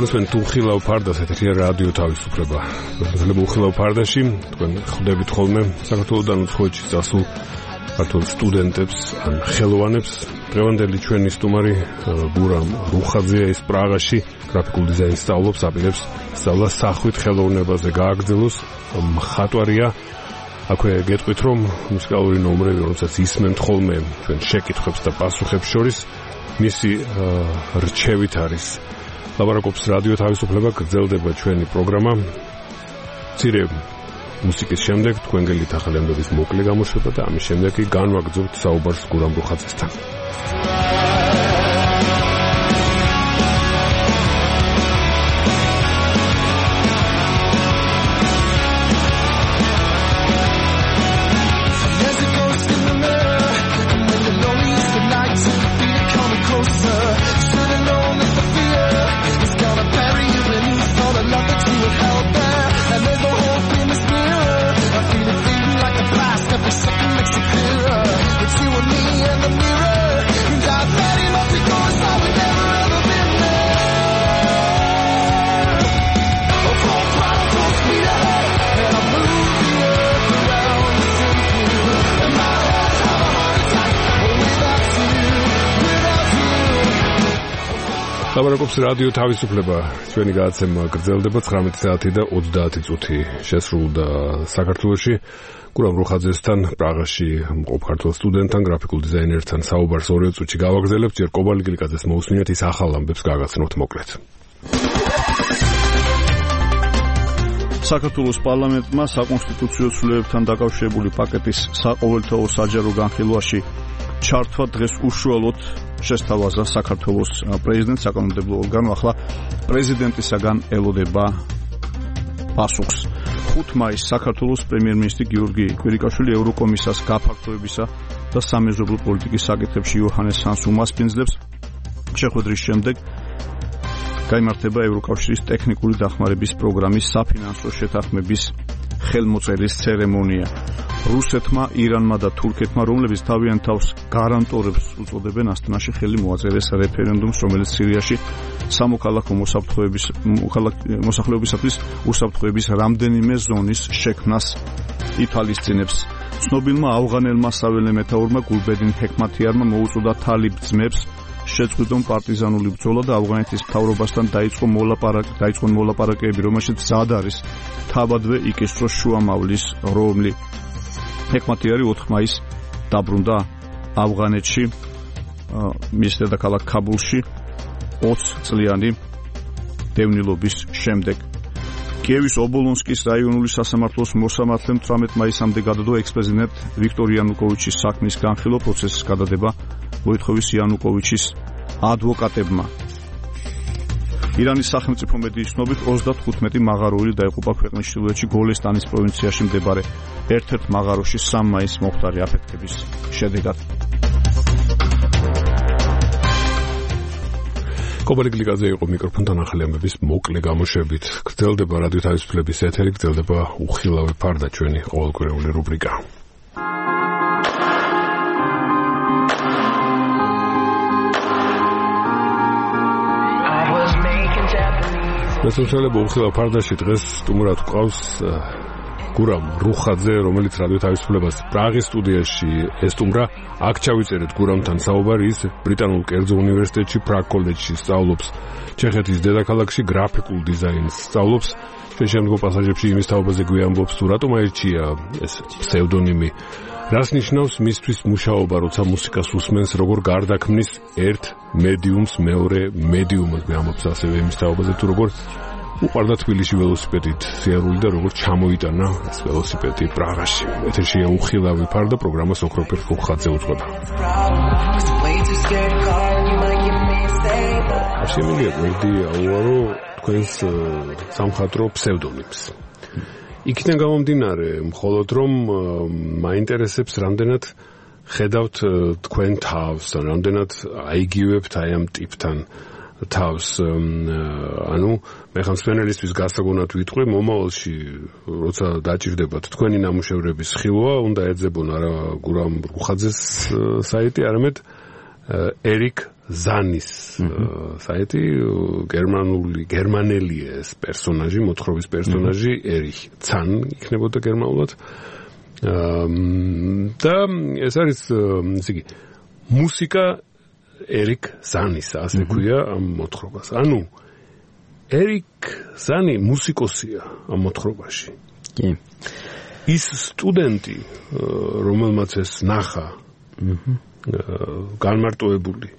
თქვენ უხილავ ფარდას ეთერია რადიო თავისუფლება. შეიძლება უხილავ ფარდაში თქვენ ხვდებით ხოლმე საქართველოსდან უცხოეთში წასულ ქართულ სტუდენტებს ან ხელოვანებს. დღევანდელი ჩვენი სტუმარი გურამ რუხაძეა ის პრაღაში გრაფიკულ დიზაინს სწავლობს, აპირებს სწავლას სახვით ხელოვნებაზე გააგრძელოს მხატვარია. აქვე გეტყვით რომ მუსიკალური ნომრები რომელსაც ისმენთ ხოლმე ჩვენ შეკითხვებს და პასუხებს შორის მისი რჩევით არის ლაპარაკობს რადიო თავისუფლება გრძელდება ჩვენი პროგრამა. მცირე მუსიკის შემდეგ თქვენ გელით ახალი ამბების მოკლე გამოშვება და ამის შემდეგ კი განვაგრძობთ საუბარს გურამ რუხაძესთან. ლაპარაკობს რადიო თავისუფლება ჩვენი გადაცემა გრძელდება 19 საათი და 30 წუთი შესრულდა საქართველოში გურამ რუხაძესთან პრაღაში მყოფ ქართულ სტუდენტთან გრაფიკულ დიზაინერთან საუბარს 2 წუთში გავაგრძელებთ ჯერ კობალი გილიკაძეს მოусმინეთ ის ახალ ამბებს გაგაცნოთ მოკლედ საქართველოს პარლამენტმა საკონსტიტუციო ცვლილებებთან დაკავშირებული პაკეტის საყოველთაო საჯარო განხილვაში ჩართვა დღეს უშუალოდ შესთავაზა საქართველოს პრეზიდენტს საკანონმდებლო ორგანო ახლა პრეზიდენტისაგან ელოდება პასუხს 5 მაისს საქართველოს პრემიერ-მინისტრი გიორგი კვირიკაშვილი ევროკომისარს გაფართოებისა და სამეზობლო პოლიტიკის საკითხებში იოჰანეს სანს უმასპინძლებს შეხვედრის შემდეგ გაიმართება ევროკავშირის ტექნიკური დახმარების პროგრამის საფინანსო შეთანხმების ხელმოწერის ცერემონია. რუსეთმა, ირანმა და თურქეთმა, რომლებიც თავიანთ თავს გარანტორებს უწოდებენ, ასტანაში ხელი მოაწერეს რეფერენდუმს, რომელიც სირიაში სამოქალაქო მოსახლეობისათვის უსაფრთხოების რამდენიმე ზონის შექმნას ითვალისწინებს. ცნობილმა ავღანელმა საველე მეთაურმა გულბედინ ჰეკმათიანმა მოუწოდა თალიბ ძმებს შეწყვიტონ პარტიზანული ბრძოლა და ავღანეთის მთავრობასთან დაიწყონ მოლაპარაკებები, რომელშიც მზად არის თავადვე იკისროს შუამავლის რომლი. ჰეკმათიანი 4 მაისს დაბრუნდა ავღანეთში, მის დედაქალაქ ქაბულში 20 წლიანი დევნილობის შემდეგ. კიევის ობოლონსკის რაიონული სასამართლოს მოსამართლემ 18 მაისამდე გადადო ექს-პრეზიდენტ ვიქტორ იანუკოვიჩის საქმის განხილვა, პროცესის გადადება მოითხოვის იანუკოვიჩის ადვოკატებმა. ირანის სახელმწიფო მედიის ცნობით 35 მაღაროელი დაიღუპა ქვეყნის ჩრდილოეთში გოლესტანის პროვინციაში მდებარე ერთ-ერთ მაღაროში 3 მაისს მომხდარი აფეთქების შედეგად. კობალიკ ლიკაძე იყო მიკროფონთან ახალი ამბების მოკლე გამოშვებით. გრძელდება რადიო თავისუფლების ეთერი, გრძელდება უხილავი ფარდა, ჩვენი ყოველკვირეული რუბრიკა. მოსულელობა უხილავ ფარდაში დღეს სტუმრად გვყავს გურამ რუხაძე, რომელიც რადიო თავისუფლებას პრაღის სტუდიაში ესტუმრა. აქ ჩავიწერეთ გურამთან საუბარი, ის ბრიტანულ კერძო უნივერსიტეტში პრაღ კოლეჯში სწავლობს. ჩეხეთის დედაქალაქში გრაფიკულ დიზაინს სწავლობს. შემდგომ პასაჟებში იმის თაობაზე გვიამბობს, თუ რატომ აირჩია ეს ფსევდონიმი. რას ნიშნავს მისთვის მუშაობა, როცა მუსიკას უსმენს, როგორ გარდაქმნის ერთ მედიუმს მეორე მედიუმად, გვიამბობს ასევე იმის თაობაზე, თუ როგორ უყარდა თბილისში ველოსიპედით სიარული და როგორ ჩამოიტანა ეს ველოსიპედი პრაღაში. ეთერშია უხილავი ფარდა, პროგრამას ოქროფერ რუხაძე უძღვება. შემიძლია გვერდი აუარო თქვენს სამხატვრო ფსევდონიმს. იქიდან გამომდინარე, მხოლოდ რომ მაინტერესებს, რამდენად ხედავთ თქვენ თავს, რამდენად აიგივებთ აი ამ ტიპთან თავს. ანუ მე ხან სპენელისთვის გასაგონად ვიტყვი, მომავალში როცა დაჭირდებათ თქვენი ნამუშევრების ხილვა, უნდა ეძებონ არა გურამ რუხაძეს საიტი, არამედ ერიკ ზანის საიტი, გერმანელი ეს პერსონაჟი, მოთხრობის პერსონაჟი ერიხ ცან იქნებოდა გერმანულად. და ეს არის ისე იგი მუსიკა ერიკ ზანის, ასე ქვია ამ მოთხრობას. ანუ ერიკ ზანი მუსიკოსია ამ მოთხრობაში. კი. ის სტუდენტი, რომელმაც ეს ნახა, განმარტოებული,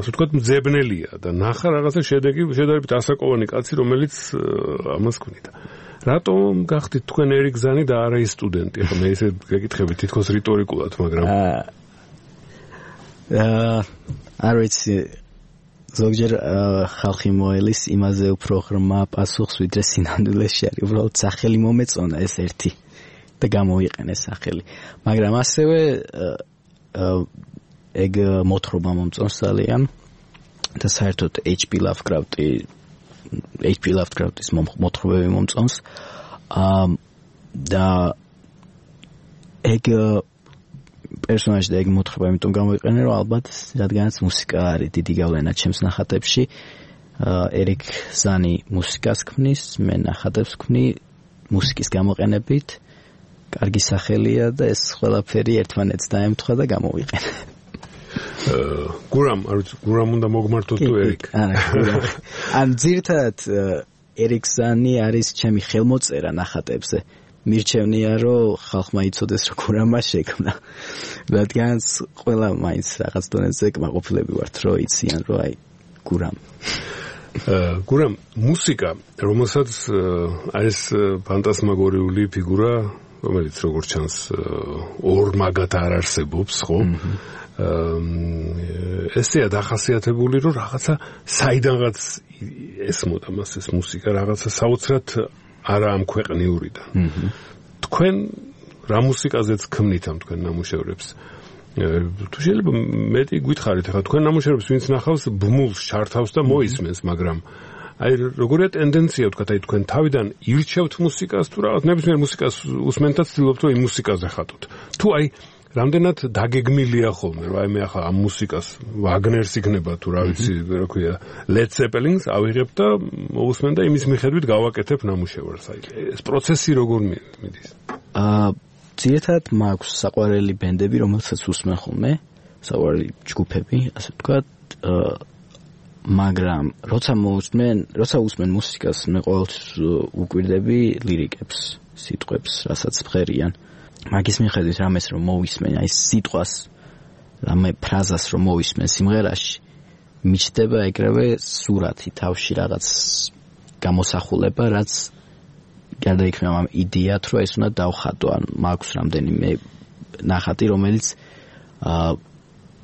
ასე ვთქვათ, მძებნელია და ნახა რაღაცა შედარებით ასაკოვანი კაცი, რომელიც ამას ქმნიდა. რატომ გახდით თქვენ ერიკ ზანი და არა ის სტუდენტი? ახლა მე ესე გეკითხები თითქოს რიტორიკულად, მაგრამ არ ვიცი, ზოგჯერ ხალხი მოელის იმაზე უფრო ღრმა პასუხს, ვიდრე სინამდვილეში არის. უბრალოდ სახელი მომეწონა ეს ერთი და გამოვიყენე სახელი. მაგრამ ასევე ეგ მოთხრობა მომწონს ძალიან და საერთოდ H.P. Lovecraft-ის მოთხრობები მომწონს. და ეგ პერსონაჟი და ეგ მოთხრობა იმიტომ გამოვიყენე, რომ ალბათ რადგანაც მუსიკა არის დიდი გავლენა ჩემს ნახატებში. ერიკ ზანი მუსიკას ქმნის, მე ნახატებს ვქმნი მუსიკის გამოყენებით. კარგი სახელია და ეს ყველაფერი ერთმანეთს დაემთხვა და გამოვიყენე. გურამ, არ ვიცი, გურამ უნდა მოგმართოთ თუ ერიკ? ან ძირთად ერიკ ზანი არის ჩემი ხელმოწერა ნახატებზე. მირჩევნია, რომ ხალხმა იცოდეს, რომ გურამა შექმნა. რადგანაც ყველა მაინც რაღაც დონეზე კმაყოფილები ვართ, რომ იციან, რომ აი გურამ. გურამ, მუსიკა, რომელსაც არის ფანტასმაგორიული ფიგურა, რომელიც როგორც ჩანს ორმაგად არ არსებობს, ხო? ესეა დახასიათებული, რომ რაღაცა საიდანღაც ესმოდა მას ეს მუსიკა, რაღაცა საოცრად არა ამ ქვეყნიურიდან. თქვენ რა მუსიკაზეც ქმნით ამ თქვენ ნამუშევრებს? თუ შეიძლება მეტი გითხარით, ახლა თქვენ ნამუშევრებს ვინც ნახავს, ბმულს ჩართავს და მოისმენს, მაგრამ აი როგორია ტენდენცია ვთქვათ, აი თქვენ თავიდან ირჩევთ მუსიკას თუ რაღაც ნებისმიერ მუსიკას უსმენთ და ცდილობთ რომ იმ მუსიკაზე ხატოთ. თუ აი რამდენად დაგეგმილია ხოლმე, რომ აი მე ახლა ამ მუსიკას ვაგნერს იქნება თუ რა ვიცი, რა ქვია, Led Zeppelin-ს ავიღებ და მოусმენ და იმის მიხედვით გავაკეთებ ნამუშევარს. აი ეს პროცესი როგორ მიდის? ძირითადად მაქვს საყვარელი ბენდები, რომელსაც უსმენ ხოლმე, საყვარელი ჯგუფები, ასე ვთქვათ, მაგრამ როცა უსმენ მუსიკას, მე ყოველთვის უკვირდები ლირიკებს, სიტყვებს, რასაც ვღერიან. მაგის მიხედვით რამეს რომ მოვისმენ, აი სიტყვას, რამე ფრაზას რომ მოვისმენ სიმღერაში, მიჩნდება ეგრევე სურათი თავში რაღაც გამოსახულება, რაც გადაიქნება ამ იდეათ, რომ ეს უნდა დავხატო, ან მაქვს რამდენიმე ნახატი, რომელიც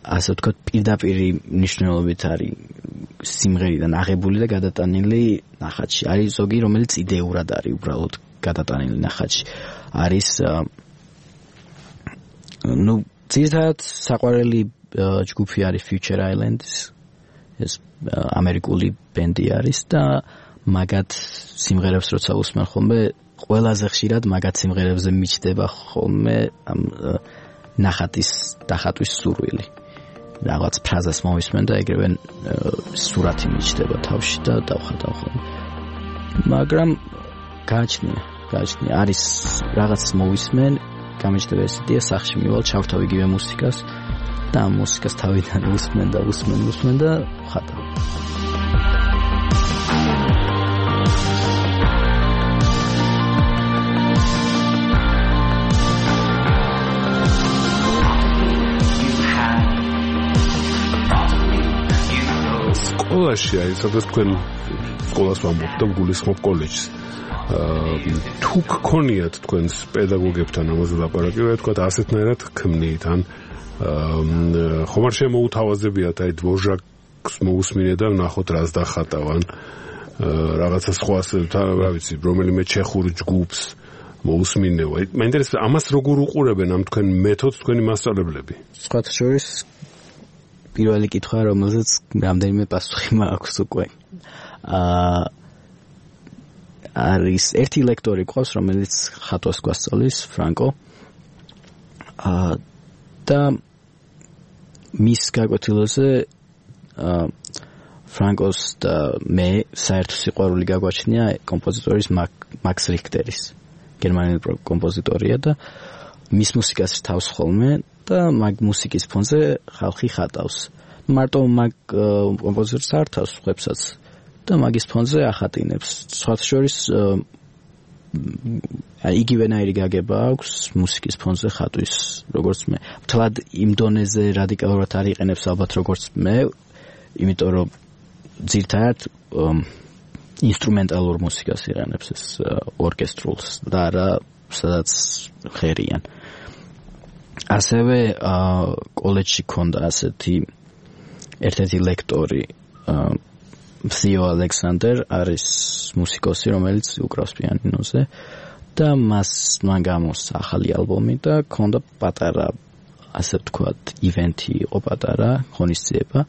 ასე ვთქვათ, პირდაპირ მნიშვნელობით არის სიმღერიდან აღებული და გადატანილი ნახატში. არის ზოგი, რომელიც იდეურად არის უბრალოდ გადატანილი ნახატში. არის ძირითადად საყვარელი ჯგუფი არის Future Islands, ეს ამერიკული ბენდი არის და მაგათ სიმღერებს როცა უსმენ ხოლმე, ყველაზე ხშირად მაგათ სიმღერებზე მიჩნდება ხოლმე ამ ნახატის დახატვის სურვილი. რაღაც ფრაზას მოვისმენ და ეგრევე სურათი მიჩნდება თავში და დავხატავ ხოლმე. მაგრამ გააჩნია, არის რაღაც მოვისმენ, გამიჩნდება ეს იდეა, სახში მივალ, ჩავრთავ იგივე მუსიკას და ამ მუსიკას თავიდან უსმენ და ხატავ. სკოლაში, აი, სადაც თქვენ სკოლას ვამბობთ და გულისხმობ კოლეჯს. თუ გქონიათ თქვენს პედაგოგებთან ამაზე ლაპარაკი, ვთქვათ, ასეთნაირად ქმნით, ან ხომ არ შემოუთავაზებიათ, აი, დვოჟაკს მოусმინე და ნახოთ რას დახატავ, ან რაღაცა სხვას, რა ვიცი, რომელიმე ჩეხურ ჯგუფს მოусმინეო. აი, მაინტერესებს, ამას როგორ უყურებენ ამ თქვენ მეთოდს თქვენი მასწავლებლები? სხვათა შორის პირველი კითხვა, რომელზეც რამდენიმე პასუხი მაქვს უკვე. არის ერთი ლექტორი ყავს, რომელიც ხატვას გვასწავლის, ფრანკო. და მის გაკვეთილებზე ფრანკოს და მე საერთო სიყვარული გაგვაჩნია კომპოზიტორის მაქს რიქტერის. გერმანელი კომპოზიტორია და მის მუსიკას რთავს ხოლმე და მაგ მუსიკის ფონზე ხალხი ხატავს. მარტო მაგ კომპოზიტორს არ თავს ხებსაც და მაგის ფონზე ახატინებს. სხვათა შორის იგივენაირი გაგება აქვს მუსიკის ფონზე ხატვის, როგორც მე. მთლად იმ დონეზე რადიკალურად არ იყენებს ალბათ როგორც მე, იმიტომ რომ ძირითადად ინსტრუმენტალურ მუსიკას იყენებს ეს ორკესტრულს და არა სადაც ხერიან. ასევე კოლეჯში ქონდა ასეთი ერთ-ერთი ლექტორი Theo Alexander არის მუსიკოსი, რომელიც უკრავს პიანინოზე და მან გამოსცა ახალი ალბომი და ქონდა პატარა, ასე ვთქვათ, ივენთი იყო პატარა, ღონისძიება,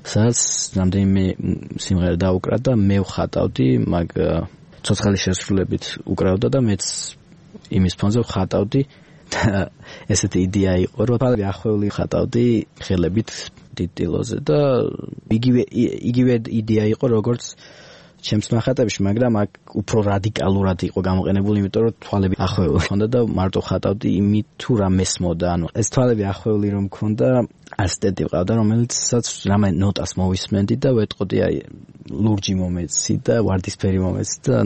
სადაც რამდენიმე სიმღერა დაუკრა და მე ვხატავდი, მაგ ცოცხალი შესრულებით უკრავდა და მეც იმის ფონზე ვხატავდი და ესეთი იდეა იყო, რომ ახვეული ხატავდი ხელებით ტიტილოზე და იგივე იდეა იყო როგორც ჩემს ნახატებში, მაგრამ აქ უფრო რადიკალურად იყო გამოყენებული, იმიტომ რომ თვალები ახვეული ჰქონდა და მარტო ხატავდი იმით თუ რა მესმოდა, ანუ ეს თვალები ახვეული რომ მქონდა, ასისტენტი ვყავდა, რომელიცაც რამე ნოტას მოვისმენდი და ვეტყოდი აი ლურჯი მომეცი და ვარდისფერი მომეცი და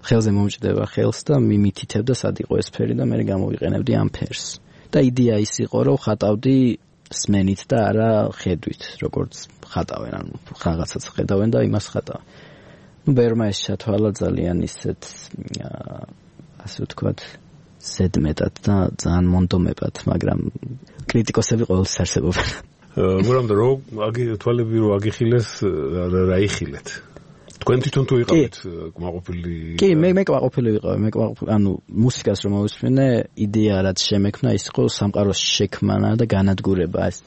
ხელზე მომჭდება ხელს და მიმითითებდა სად იყო ეს ფერი და მე გამოვიყენებდი ამ ფერს. და იდეა ის იყო, რომ ხატავდი სმენით და არა ხედვით, როგორც ხატავენ, ანუ რაღაცას ხედავენ და იმას ხატავენ. ბერმა ეს ჩათვალა ძალიან ისეთ, ასე ვთქვათ, ზედმეტად და ძალიან მონდომებად, მაგრამ კრიტიკოსები ყოველთვის არსებობენ. მაგრამ რომ თვალები რო აგიხილეს, რა იხილეთ? თქვენ თვითონ თუ იყავით კმაყოფილი? კი, მე კმაყოფილი ვიყავი, ანუ მუსიკას რომ მოვისმენე, იდეა რაც შემექმნა ის იყო სამყაროს შექმნა და განადგურება ეს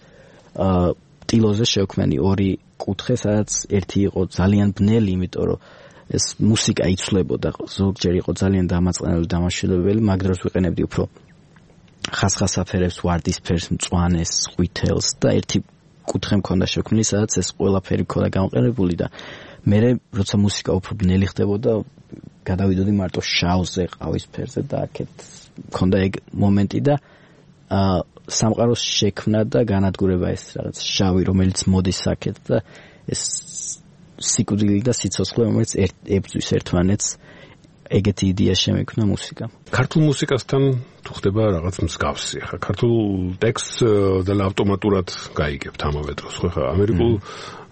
ტილოზე შევქმენი ორი კუთხე, სადაც ერთი იყო ძალიან ბნელი, იმიტომ რომ ეს მუსიკა იცვლებოდა, ზოგჯერ იყო ძალიან დამაწყენებელი, დამაშველებელი, მაგ დროს ვიყენებდი უფრო ხასხასაფერებს, ვარდისფერს, მწვანეს, ყვითელს და ერთი კუთხე მქონდა შექმნილი, სადაც ეს ყველაფერი მქონდა გამოყენებული და მე როცა მუსიკა უფრო ბნელი ხდებოდა, გადავიდოდი მარტო შავზე, ყავისფერზე და აქეთ მქონდა ეგ მომენტი და სამყაროს შექმნა და განადგურება ეს რაღაც შავი, რომელიც მოდის აქეთ და ეს სიკვდილი და სიცოცხლე, რომელიც ებრძვის ერთმანეთს, ეგეთი იდეა შემექმნა მუსიკამ. ქართულ მუსიკასთან თუ ხდება რაღაც მსგავსი, ხა ქართულ ტექსტს და ავტომატურად გაიგებთ ამავე დროს, ხო ხა ამერიკულ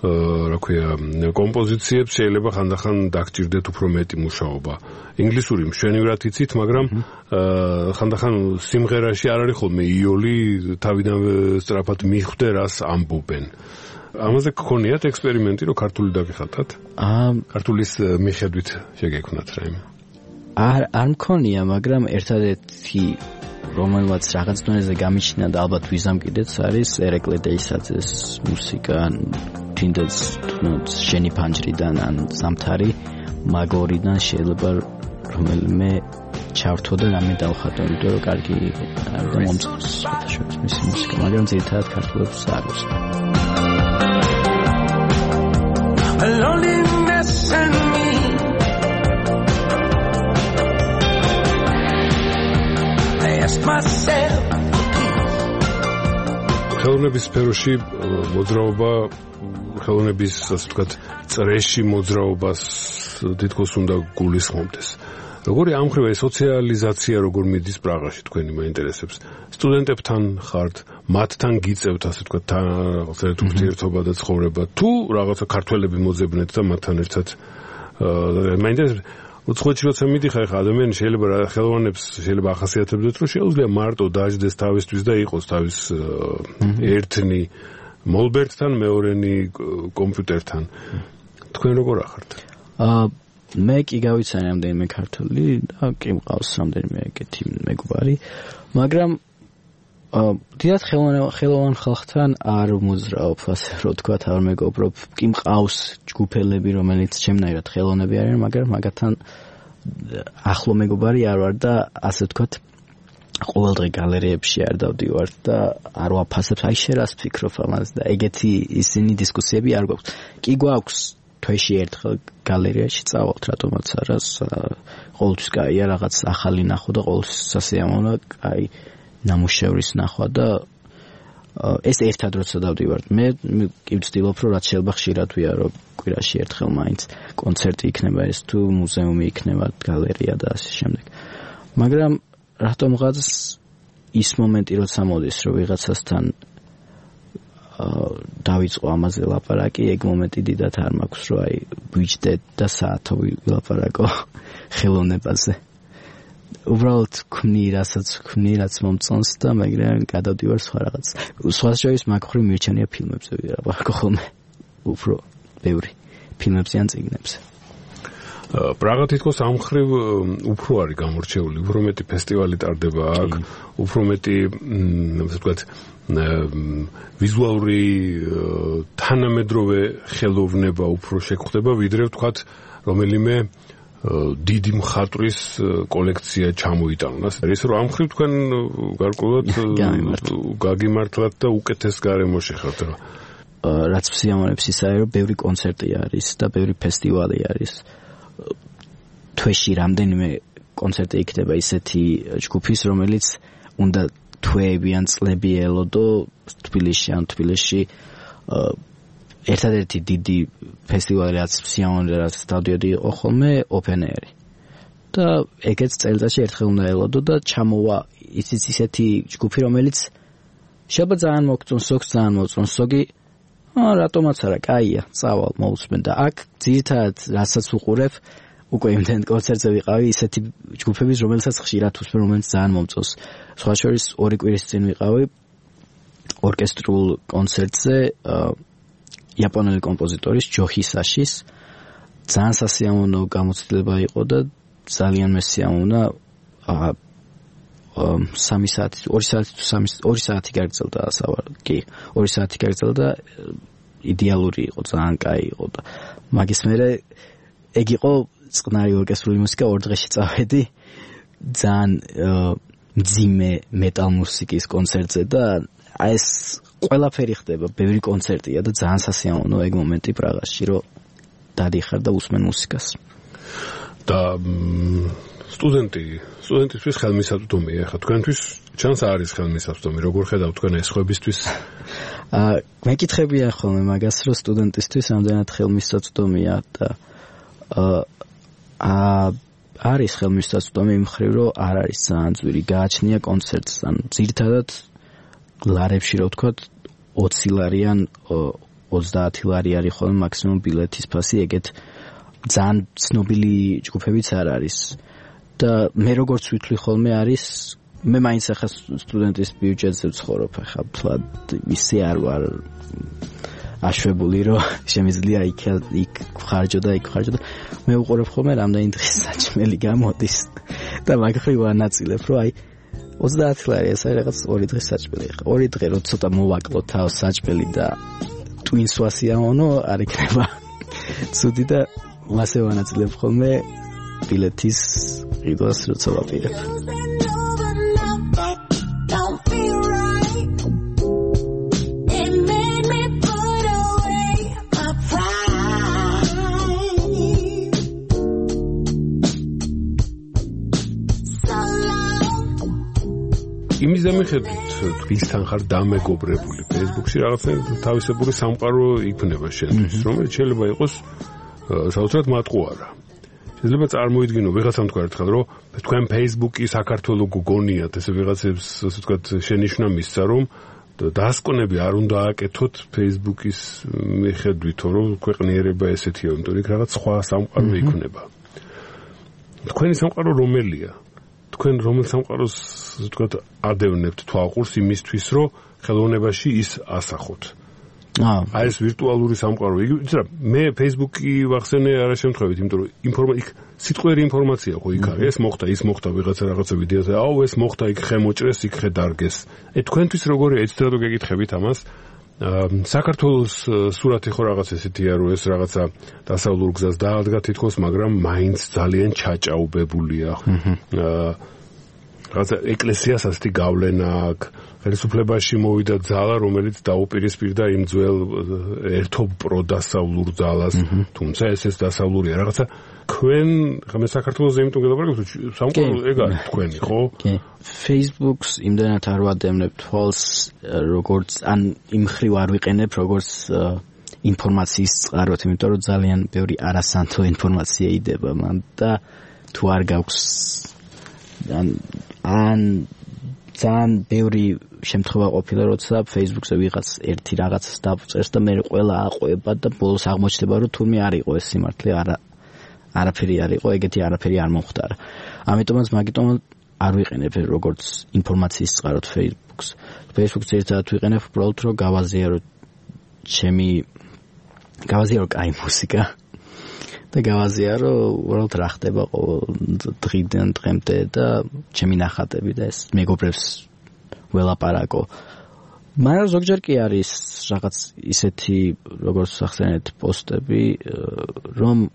რა ქვია კომპოზიციებს შეიძლება ხანდახან დაგჭირდეთ უფრო მეტი მუშაობა. ინგლისური მშვენივრად იცით, მაგრამ ხანდახან სიმღერაში არ არის ხოლმე იოლი, თავიდანვე სწრაფად მიხვდე რას ამბობენ. ამაზე გქონიათ ექსპერიმენტი, რომ ქართული დაგიხატათ? ქართულის მიხედვით შეგექმნათ რაიმე? არ მქონია, მაგრამ ერთადერთი რომელმაც რაღაც დონეზე გამიჩნია და ალბათ ვიზამ კიდეც არის ერეკლე დეისაძეს მუსიკა, თინდაც შენი ფანჯრიდან ან სამთარი მაგორიდან შეიძლება რომელიმე ჩავთო და რამე დავხატო, იმიტომ რომ კარგი და მომწყობს შეთაშორის მისი მუსიკა, მაგრამ ძირითადად ქართულებს არ ვუსმენ. Loneliness in me I ask myself ხელოვნების სფეროში მოძრაობა, ხელოვნების ასე ვთქვათ, წრეში მოძრაობას თითქოს უნდა გულისხმობდეს. როგორი ამხრივა სოციალიზაცია როგორ მიდის პრაღაში თქვენი მაინტერესებს? სტუდენტებთან ხართ, მათთან გიწევთ ასე ვთქვათ რაღაცა ურთიერთობა და ცხოვრება, თუ რაღაცა ქართველები მოძებნეთ და მათთან ერთად მაინტერესებს უცხოეთში როცა მიდიხარ, ხა ადამიანი შეიძლება ხელოვნებს შეიძლება ახასიათებდეს, რომ შეუძლია მარტო დაждდეს თავისთვის და იყოს თავის ერთნი მოლბერტთან, მეორენი კომპიუტერთან. თქვენ როგორ ახართ? მე კი გავიცანი რამდენიმე ქართული და კი მყავს რამდენიმე ეგეთი მეგობარი, მაგრამ დიდად ხელოვან ხალხთან არ მოძრაობ, ასე რომ თქვა, არ მეგობრობ. კი მყავს ჯგუფელები, რომელიც ჩემნაირად ხელოვნები არიან, მაგრამ მაგათთან ახლო მეგობარი არ ვარ და ასე ვთქვათ, ყოველდღე გალერეებში არ დავდივარ და არ ვაფასებ, აი შენ რას ფიქრობ ამაზე და ეგეთი ისინი დისკუსიები არ გვაქვს. კი გვაქვს თვეში ერთხელ გალერეაში წავალთ, რატომაც არა, ყოველთვის კაია რაღაც ახალი ნახო და ყოველთვის სასიამოვნოა, აი ნამუშევრის ნახვა და ეს ერთად როცა დავდივართ. მე კი ვცდილობ, რომ რაც შეიძლება ხშირად ვიარო, კვირაში ერთხელ მაინც კონცერტი იქნება ეს თუ მუზეუმი იქნება, გალერეა და ასე შემდეგ. მაგრამ რატომღაც ის მომენტი როცა მოდის, რომ ვიღაცასთან დავიწყო ამაზე ლაპარაკი, ეგ მომენტი დიდად არ მაქვს, რომ აი ვიჯდეთ და საათო ვილაპარაკო ხელოვნებაზე. უბრალოდ ქმნი, რაც მომწონს და მაგრამ გადავდივარ სხვა რაღაც. სხვა შორის მაგხრივ მირჩენია ფილმებზე ვილაპარაკო ხოლმე. უფრო ბევრი ფილმებზე ან წიგნებზე. პრაღა თითქოს ამხრივ უფრო არის გამორჩეული, უფრო მეტი ფესტივალი ტარდება აქ, უფრო მეტი ასე ვთქვათ ვიზუალური თანამედროვე ხელოვნება უფრო შეგხვდება, ვიდრე ვთქვათ რომელიმე დიდი მხატვრის კოლექცია ჩამოიტანოს. ის რომ ამხრივ თქვენ გარკვეულად გაგიმართლათ და უკეთეს გარემოში ხართ. რაც სიამოვნებს ისაა, რომ ბევრი კონცერტი არის და ბევრი ფესტივალი არის. თვეში რამდენიმე კონცერტი იქნება ისეთი ჯგუფის, რომელიც უნდა თვეები ან წლები ელოდო თბილისში ერთადერთი დიდი ფესტივალი რაც სიამოვნებდა, რაც დავდიოდი იყო ხოლმე open air-ი. და ეგეც წელიწადში ერთხელ უნდა ელოდო და ჩამოვა ისეთი ჯგუფი, რომელიც შეიძლება ძალიან მოგწონს, ზოგს ძალიან მოწონს, ზოგი რატომაც არა, კაია, წავალ, მოусმენ და აქ ძირითადად რასაც უყურებ, უკვე იმდენ კონცერტზე ვიყავი ისეთი ჯგუფების, რომელსაც ხშირად უსმენ, რომელიც ძალიან მომწონს. სხვა შორის 2 კვირის წინ ვიყავი ორკესტრულ კონცერტზე იაპონელი კომპოზიტორის ჯო ჰისაშის ძალიან სასიამოვნო გამოცდილება იყო და ძალიან მესიამოვნა 3 საათი 2 საათი გაგრძელდა კი 2 საათი გაგრძელდა იდეალური იყო ძალიან კაი იყო და მაგის მერე ეგ იყო წყნარი ორკესტრული მუსიკა 2 დღეში წავედი ძალიან მძიმე მეტალ მუსიკის კონცერტზე და ეს ყველაფერი ხდება ბევრი კონცერტია და ძალიან სასიამოვნო ეგ მომენტი პრაღაში რომ დადიხარ და უსმენ მუსიკას და სტუდენტისთვის ხელმისაწვდომია ხა თქვენთვის ჩანს არის ხელმისაწვდომი როგორ ხედავთ თქვენ ეს ხვებისთვის მეკითხებია ხოლმე მაგას რომ სტუდენტისთვის რამდენად ხელმისაწვდომია და არის ხელმისაწვდომი იმ მხრივ რომ არ არის ძალიან ძვირი გააჩნია კონცერტს ან ძირითადად ლარებში რო ვთქვათ 20 ლარი ან 30 ლარი არის ხოლმე მაქსიმუმ ბილეთის ფასი ეგეთ ძალიან ცნობილი ჯგუფებიც არ არის და მე როგორც ვითვლი ხოლმე არის მე მაინც ახლა სტუდენტის ბიუჯეტზე ვცხოვრობ ახლა თლად ისე არ ვარ აშვებული რომ შემიძლია იქ ხარჯო და მე უყურებ ხოლმე რამდენი დღის საჭმელი გამოდის და მაგხრივ ვანაწილებ რომ აი 30 ლარი ეს არის რაღაც 2 დღის საჭმელი ხა 2 დღე რო ცოტა მოვაკლო თავს საჭმელი და twins ვასიამოვნო არ იქნება ცუდი და მასე ვანაწილებ ხოლმე ბილეთის ყიდვას როცა ვაპირებ იმის დამიხედვით თქვენთან ხარ დამეგობრებული Facebook-ში რაღაცა თავისებური სამყარო იქნება შენთვის რომელიც შეიძლება იყოს საოცრად მატყუარა შეიძლება წარმოიდგინო ვიღაცამ თქვა ერთხელ რომ თქვენ Facebook-ი საქართველოს გგონიათ ესე ვიღაცებს ასე ვთქვათ შენიშვნა მისცა რომ დასკვნები არ უნდა აკეთოთ Facebook-ის მიხედვითო რომ ქვეყნიერება ესეთია იმიტომ იქ რაღაც სხვა სამყარო იქნება თქვენი სამყარო რომელია თქვენ რომელ სამყაროს ვთქვათ ადევნებთ თვალყურს იმისთვის რომ ხელოვნებაში ის ასახოთ აი ეს ვირტუალური სამყარო იცი რა მე Facebook-ი ვახსენე არა შემთხვევით იმიტომ რომ იქ სიტყვიერი ინფორმაცია ხო იქ არის ეს მოხდა ის მოხდა ვიღაცა რაღაცა ვიდეოზე აუ ეს მოხდა იქ ხე მოჭრეს იქ ხე დარგეს თქვენთვის როგორია ეცეთ რა გეკითხებით ამას საქართველოს სურათი ხო რაღაც ესეთია რომ ეს რაღაცა დასავლურ გზას დაადგა თითქოს მაგრამ მაინც ძალიან ჩაჭაობებულია რაღაცა ეკლესიას ასეთი გავლენა აქვს ხელისუფლებაში მოვიდა ძალა რომელიც დაუპირისპირდა იმ ძველ ერთობ პროდასავლურ ძალას თუმცა ეს დასავლურია რაღაცა თქვენ ხომ საქართველოს იმიტომ გელაპარაკობთ სამყარო ეგ არის თქვენი ხო Facebook-ს იმდანაც არ ვადევნებ თვალს როგორც ან იმ ხრივ არ ვიყენებ როგორც ინფორმაციის წყაროთ იმიტომ რომ ძალიან ბევრი არასანთო ინფორმაცია იდება მან და თუ არ გაქვს ან ძალიან ბევრი შემთხვევა ყოფილა როცა Facebook-ზე ვიღაც ერთი რაღაცას დაწერს და მე ყველა აყვება და ბოლოს აღმოჩნდება რომ თურმე არ იყო ეს სიმართლე არაფერი არ იყო ეგეთი არაფერი არ მომხდარა ამიტომაც მაგიტომ არ ვიყენებ როგორც ინფორმაციის წყაროთ Facebook-ს Facebook-ს ერთად ვიყენებ უბრალოდ რომ გავაზიარო კაი მუსიკა და გავაზიარო უბრალოდ რა ხდება ყოველ დღიდან დღემდე და ჩემი ნახატები და ეს მეგობრებს ველაპარაკო მაგრამ ზოგჯერ კი არის რაღაც ისეთი როგორც ახსენეთ პოსტები რომ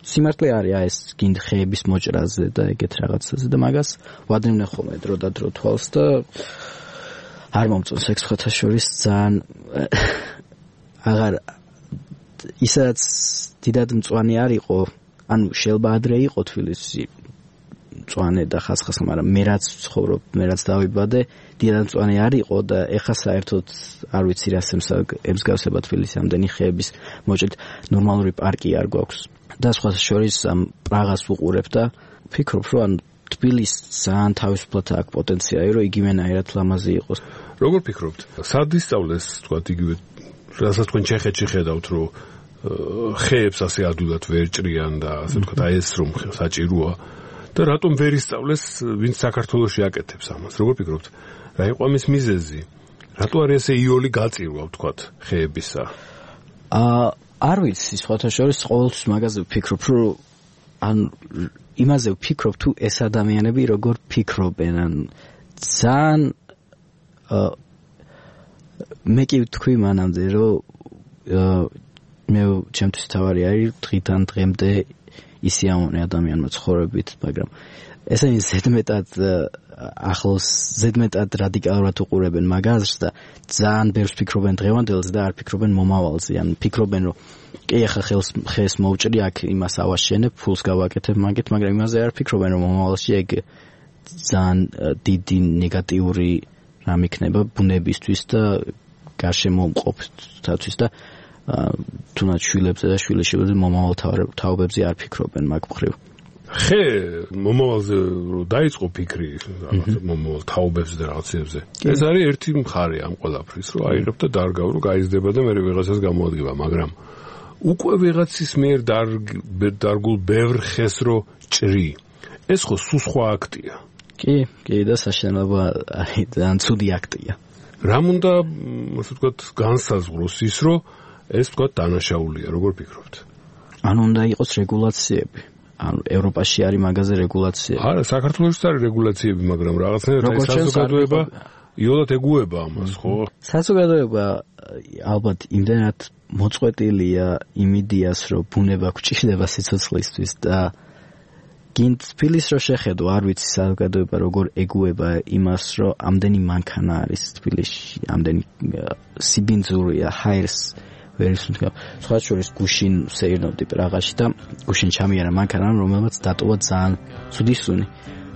სიმართლე არის ეს გინდ ხეების მოჭრაზე და ეგეთ რაღაცაზე და მაგას ვადევნე ხოლმე დრო და დრო თვალს და არ მომწონს ეგ სხვათა შორის ძალიან აღარ ისაც დიდად მწვანე არ იყო ანუ შეიძლება ადრე იყო თბილისში მწვანე და ხასხასა მაგრამ მე რაც ვცხოვრობ მე რაც დავიბადე დიდად მწვანე არ იყო და ეხა საერთოდ არ ვიცი რა ემსგავსება თბილისის ამდენი ხეების მოჭრით ნორმალური პარკი არ გვაქვს და სხვათა შორის ამ პრაღას ვუყურებ და ვფიქრობ რომ ან თბილისს ძალიან თავისუფლად აქვს პოტენციალი რომ იგივენაირად ლამაზი იყოს როგორ ფიქრობთ სად ისწავლეს თქვა იგივე რასაც თქვენ ჩეხეთში ხედავთ რომ ხეებს ასე ადვილად ვერ ჭრიან და ასე ვთქვათ აი ეს რომ საჭიროა და რატომ ვერ ისწავლეს ვინც საქართველოში აკეთებს ამას როგორ ფიქრობთ რა იყო ამის მიზეზი რატო არის ესე იოლი გაწირვა ვთქვათ ხეებისა არ ვიცი, სხვათა შორის ყოველთვის მაგაზე ვფიქრობ, რომ ან იმაზე ვფიქრობ თუ ეს ადამიანები როგორ ფიქრობენ, ან ძალიან მე კი ვთქვი მანამდე, რომ მე ჩემთვის თავარი არის დღიდან დღემდე ისი ამონე ადამიანმა ცხოვრებით, მაგრამ ესენი ზედმეტად ახლოს ზედმეტად რადიკალურად უყურებენ მაგას და ძალიან ბევრს ფიქრობენ დღევანდელზე და არ ფიქრობენ მომავალზე. ან ფიქრობენ, რომ კი ახლა ხეს მოვჭრი, აქ იმას ავაშენებ, ფულს გავაკეთებ მაგით, მაგრამ იმაზე არ ფიქრობენ, რომ მომავალში ეგ ძალიან დიდი ნეგატიური რამ იქნება ბუნებისთვის და გარშემო მყოფთათვის და თუნდაც შვილებზე და შვილიშვილებზე მომავალ თაობებზე არ ფიქრობენ მაგ მხრივ. ხე მომავალზე რომ დაიწყო ფიქრი მომავალ თაობებზე და რაღაცებზე. ეს არის ერთი მხარე ამ ყველაფრის, რომ აიღებ და დარგავ, რომ გაიზრდება და მე ვიღაცას გამოადგება, მაგრამ უკვე ვიღაცის მიერ დარგულ ბევრ ხეს რო ჭრი. ეს ხო სხვა აქტია. კი, და საშინელება არის ძალიან ცუდი აქტია. რამ უნდა, ასე ვთქვათ, განსაზღვროს ის, რომ ეს ვთქვათ დანაშაულია, როგორ ფიქრობთ? ანუ უნდა იყოს რეგულაციები. ანუ ევროპაში არის მაგაზე რეგულაციები. არა, საქართველოშიც არის რეგულაციები, მაგრამ რაღაცნაირად ეს საზოგადოება იოლად ეგუება ამას, ხო? საზოგადოება ალბათ იმდენად მოწყვეტილია იმ იდეას, რომ ბუნება გვჭირდება სიცოცხლისთვის და გინდ თბილის რო შეხედო, არ ვიცი საზოგადოება როგორ ეგუება იმას, რომ ამდენი მანქანა არის თბილისში, ამდენი სიბინძურია, ჰაერს სხვა შორის გუშინ სეირნობდი პრაღაში და გუშინ ჩამიარა მანქანა, რომელმაც დატოვა ძალიან ცუდი სუნი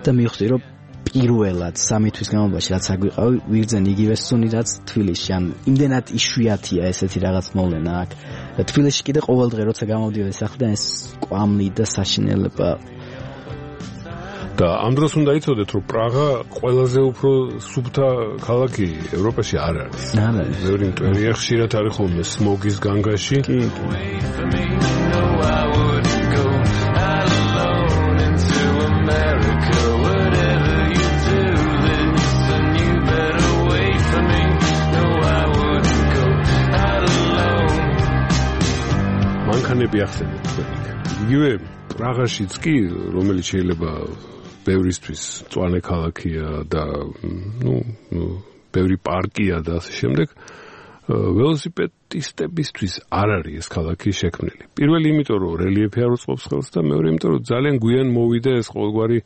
და მივხვდი, რომ პირველად 3 თვის განმავლობაში რაც აგვიყავი, ვიგრძენ იგივე სუნი, რაც თბილისში. ან იმდენად იშვიათია ესეთი რაღაც მოვლენა აქ. და თბილისში კიდე ყოველდღე როცა გამოვდიოდი სახლიდან, ეს კვამლი და საშინელება. და ამ დროს უნდა იცოდეთ, რომ პრაღა ყველაზე უფრო სუფთა ქალაქი ევროპაში არ არის. არ არის. ბევრი მტვერია, ხშირად არის ხოლმე სმოგის განგაში. კი. მანქანები ახსენეთ თქვენ. იგივე პრაღაშიც კი, რომელიც შეიძლება ბევრისთვის მწვანე ქალაქია და ბევრი პარკია და ასე შემდეგ, ველოსიპედისტებისთვის არ არის ეს ქალაქი შექმნილი. პირველი იმიტომ, რომ რელიეფი არ უწყობს ხელს და მეორე იმიტომ, რომ ძალიან გვიან მოვიდა ეს ყოველგვარი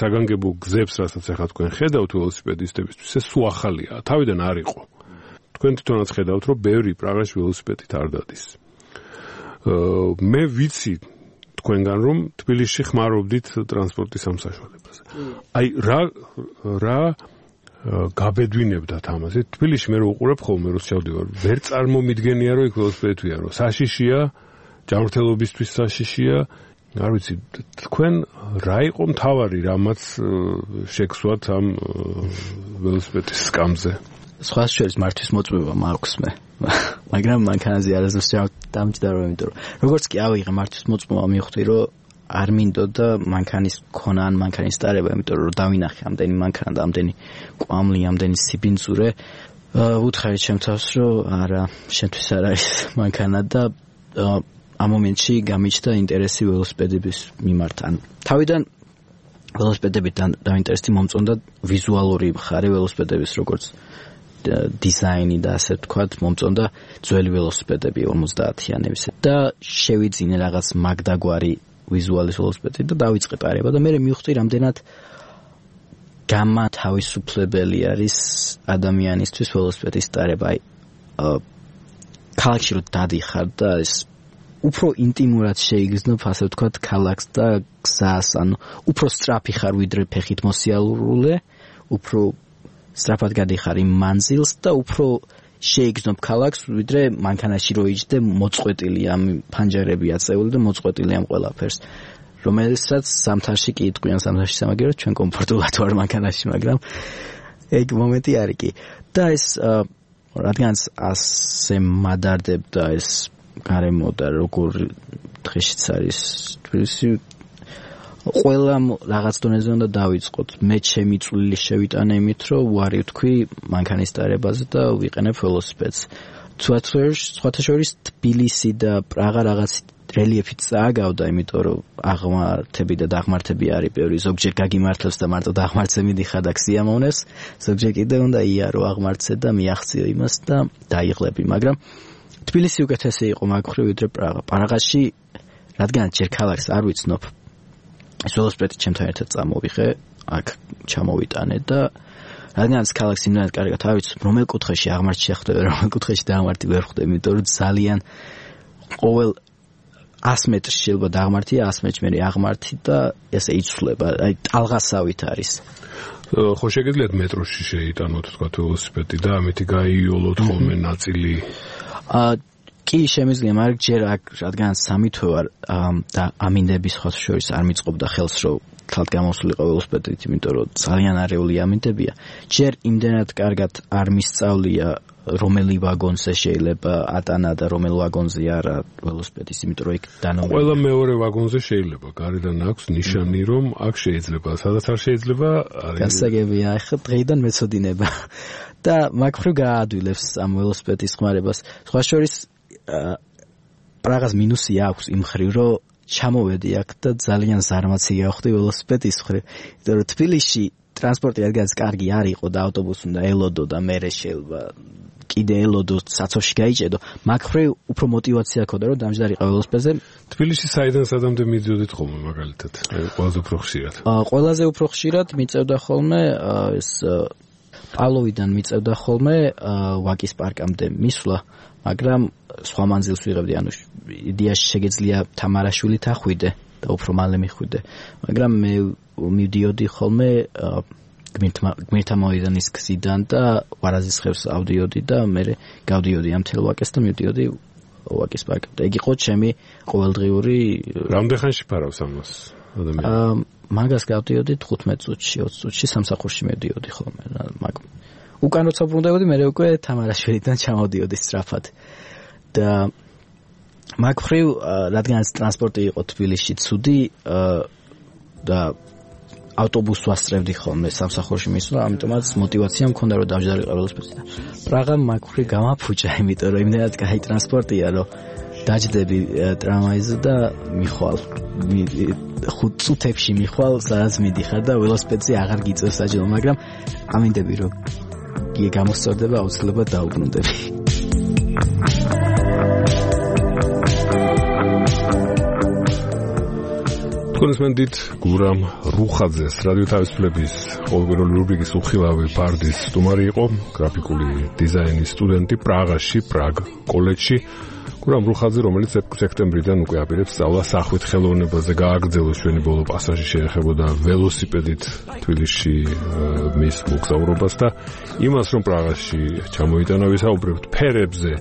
საგანგებო გზებს, რასაც ახლა თქვენ ხედავთ ველოსიპედისტებისთვის, ეს სულ ახალია, თავიდან არ იყო. თქვენ თვითონაც ხედავთ, რომ ბევრი პრაღაში ველოსიპედით არ დადის. მე ვიცი თქვენგან, რომ თბილისში ხმარობდით ტრანსპორტის ამ საშუალებაზე. აი რა გაბედვინებდათ ამაზე. თბილისში მე რო უყურებ ხოლმე, რო შევდივარ, ვერ წარმომიდგენია, რომ იქ ველოსიპედია, რომ საშიშია, ჯანმრთელობისთვის საშიშია. არ ვიცი, თქვენ რა იყო მთავარი, რამაც შეგსვათ ამ ველოსიპედის სკამზე? სხვა შორის მართვის მოწმობა მაქვს მე. მაგრამ მანქანაზე არასდროს დამჯდარო, იმიტომ რომ როგორც კი ავიღე მართვის მოწმობა, მივხვდი, რომ არ მინდოდა მანქანის ქონა ან მანქანის დარება, იმიტომ რომ დავინახე ამდენი მანქანა და ამდენი კვამლი, ამდენი სიბინძურე. უთხარი ჩემ თავს, რომ არა, შენთვის არ არის მანქანა და ამ მომენტში გამიჩნდა ინტერესი ველოსიპედების მიმართ. ან თავიდან ველოსიპედებით დაინტერესი მომწონდა ვიზუალური მხარე ველოსიპედების, როგორც დიზაინი და ასე ვთქვათ, მომწონდა ძველი ველოსიპედები 50-იანების და შევიძინე რაღაც მაგდაგვარი ვიზუალის ველოსიპედი და დავიწყე პარება და მე მივხვდი, რამდენად გამათავისუფლებელი არის ადამიანისთვის ველოსიპედის ტარება. აი ქალაქში რო დადიხარ და ეს უფრო ინტიმურად შეიგრძნობ, ასე ვთქვათ, ქალაქს და გზას, ანუ უფრო სწრაფი ხარ ვიდრე ფეხით მოსიარულე, უფრო სწრაფად გადიხარ იმ მანძილს და უფრო შეიგრძნობ ქალაქს, ვიდრე მანქანაში რო იჯდე მოწყვეტილი ამ ფანჯარები აწეული და მოწყვეტილი ამ ყველაფერს. რომელსაც ზამთარში კი იტყვიან, ზამთარში სამაგიეროდ ჩვენ კომფორტულად ვარ მანქანაში, მაგრამ ეგ მომენტი არის კი. და ეს რადგანაც ასე მადარდებდა ეს გარემო და როგორ დღეშიც არის თბილისი, ყველა რაღაც დონეზე უნდა დავიწყოთ. მე ჩემი წვლილი შევიტანე იმით, რომ უარი ვთქვი მანქანის დარებაზე და ვიყენებ ველოსიპედს. სხვათა შორის თბილისი და პრაღა რაღაც რელიეფით წააგავდა, იმიტომ რომ აღმართები და დაღმართები არის ბევრი, ზოგჯერ გაგიმართლებს და მარტო დაღმართზე მიდიხარ და ქსიამოვნებს, ზოგჯერ კიდევ უნდა იარო აღმართზე და მიაღწიო იმას და დაიღლები, მაგრამ თბილისი უკეთესი იყო მაგ მხრივ ვიდრე პრაღა. პრაღაში რადგან ჯერ ქალაქს არ ვიცნობ, ეს ველოსიპედი ჩემთან ერთად წამოვიღე, აქ ჩამოვიტანე და რადგანაც ქალაქს იმდანაც კარგად არ ვიცნობ, რომელ კუთხეში აღმართი შეხვდება, რომელ კუთხეში დაღმართი ვერ ხვდები, იმიტომ რომ ძალიან ყოველ 100 მეტრში შეიძლება დაღმართია, 100 მეტრში მე აღმართი და ესე იცვლება, აი ტალღასავით არის. ხო შეგიძლიათ მეტროში შეიტანოთ თქვა ველოსიპედი და ამით გაიოლოთ ხოლმე ნაწილი? კი შემიძლია, მაგრამ ჯერ აქ რადგან სამი თვე ვარ და ამინდების ხალხ შორის არ მიწყობდა ხელს რომ თლად გამოსულიყო ველოსიპედით, იმიტომ რომ ძალიან არეული ამინდებია. ჯერ იმდენად კარგად არ მისწავლია რომელი ვაგონზე შეიძლება ატანა და რომელ ვაგონზე არა ველოსიპედის, იმიტომ რომ იქ დანომრებული. ყველა მეორე ვაგონზე შეიძლება, გარედან აქვს ნიშანი, რომ აქ შეიძლება, სადაც არ შეიძლება, არის. გასაგებია, ახლა დღეიდან მეცოდინება და მაგ მხრივ გააადვილებს ამ ველოსიპედის ხმარებას. სხვა შორის პრაღას მინუსი აქვს იმ მხრივ, რომ ჩამოვედი აქ და ძალიან ზარმაცი გავხდი ველოსიპედის მხრივ, იმიტომ რომ თბილისში ტრანსპორტი რადგანაც კარგი არ იყო და ავტობუსი უნდა ელოდო და მერე შეიძლება კიდე ელოდო საცოვში გაიჭედო, მაგ მხრივ უფრო мотиваცია ქონდა რომ დამჯდარიყო ველოსიპედზე. თბილისში საიდან სადამდე მიდიოდით ხოლმე მაგალითად? ყველაზე უფრო ხშირად. ყველაზე უფრო ხშირად მიწევდა ხოლმე ეს პავლოვიდან მიწევდა ხოლმე ვაკის პარკამდე მისვლა, მაგრამ სხვა მანძილს ვიღებდი, ანუ იდეაში შეგეძლია თამარაშვილით ახვიდე და უფრო მალე მიხვიდე, მაგრამ მე მივდიოდი ხოლმე გმირთა მოედანის გზიდან და ვარაზისხევს ავდიოდი და მე გავდიოდი ამ თელ ვაკეს და მივდიოდი ვაკის პარკამდე. იგი იყო ჩემი ყოველდღიური. რამდენ ხანში ფარავს ამას ადამიანი? მაგას გავდიოდი 15 წუთში, 20 წუთში სამსახურში მივდიოდი ხოლმე. უკან როცა ბრუნდებოდი, მე უკვე თამარაშვილიდან ჩამოვდიოდი სწრაფად. და მაგ მხრივ, რადგანაც ტრანსპორტი იყო თბილისში ცუდი და ავტობუსს ვასწრებდი ხოლმე სამსახურში მისვლა, ამიტომაც мотиваცია მქონდა რომ დავჯდარიყო ველოსიპედზე. პრაღა მაგ მხრივ გამაფუჭა, იმიტომ რომ იმდენად კაი ტრანსპორტია, რომ დაჯდები ტრამვაიზე და მიხვალ 5 წუთებში მიხვალ, სადაც მიდიხარ და ველოსიპედზე აღარ გიწევს საჯელო, მაგრამ ამინდები რომ გამოსწორდება, აუცილებლად დაუბრუნდები. კონსმენდით გურამ რუხაძეს რადიო თავისუფლების ყოველკვირეული რუბრიკის უხილავი ფარდის სტუმარი იყო, გრაფიკული დიზაინის სტუდენტი პრაღაში, პრაგ კოლეჯში. გურამ რუხაძე, რომელიც სექტემბრიდან უკვე აპირებს სწავლას სახვით ხელოვნებაზე, გააგრძელოს ჩვენი ბოლო პასაჟი შეეხებოდა ველოსიპედით თბილისში მის მოგზაურობას და იმას, რომ პრაღაში ჩამოიტანა, ვისაუბრებთ ფერებზე,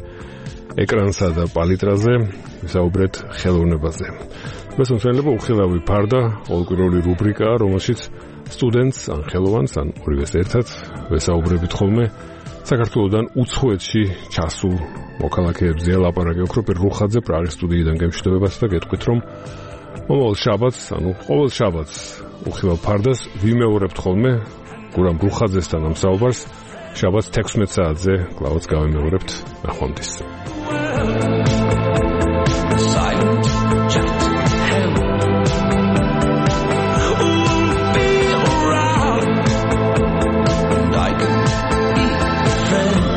ეკრანსა და პალიტრაზე, ვისაუბრეთ ხელოვნებაზე. ეს მოსვენება უხილავი ფარდა, ყოველკვირეული რუბრიკაა, რომელშიც სტუდენტს ან ხელოვანს ან ორივეს ერთად ვესაუბრებით ხოლმე საქართველოსდან უცხოეთში ჩასულ მოქალაქეებზე. ლაპარაკი ოქროპერ რუხაძე პრაღის სტუდიიდან გემშვიდობებათ და გეტყვით, რომ მომავალ შაბათს, ანუ ყოველ შაბათს უხილავ ფარდას ვიმეორებთ ხოლმე გურამ რუხაძესთან ამ საუბარს. შაბათს 16 საათზე კლავაც გავიმეორებთ. ნახვამდის. Friend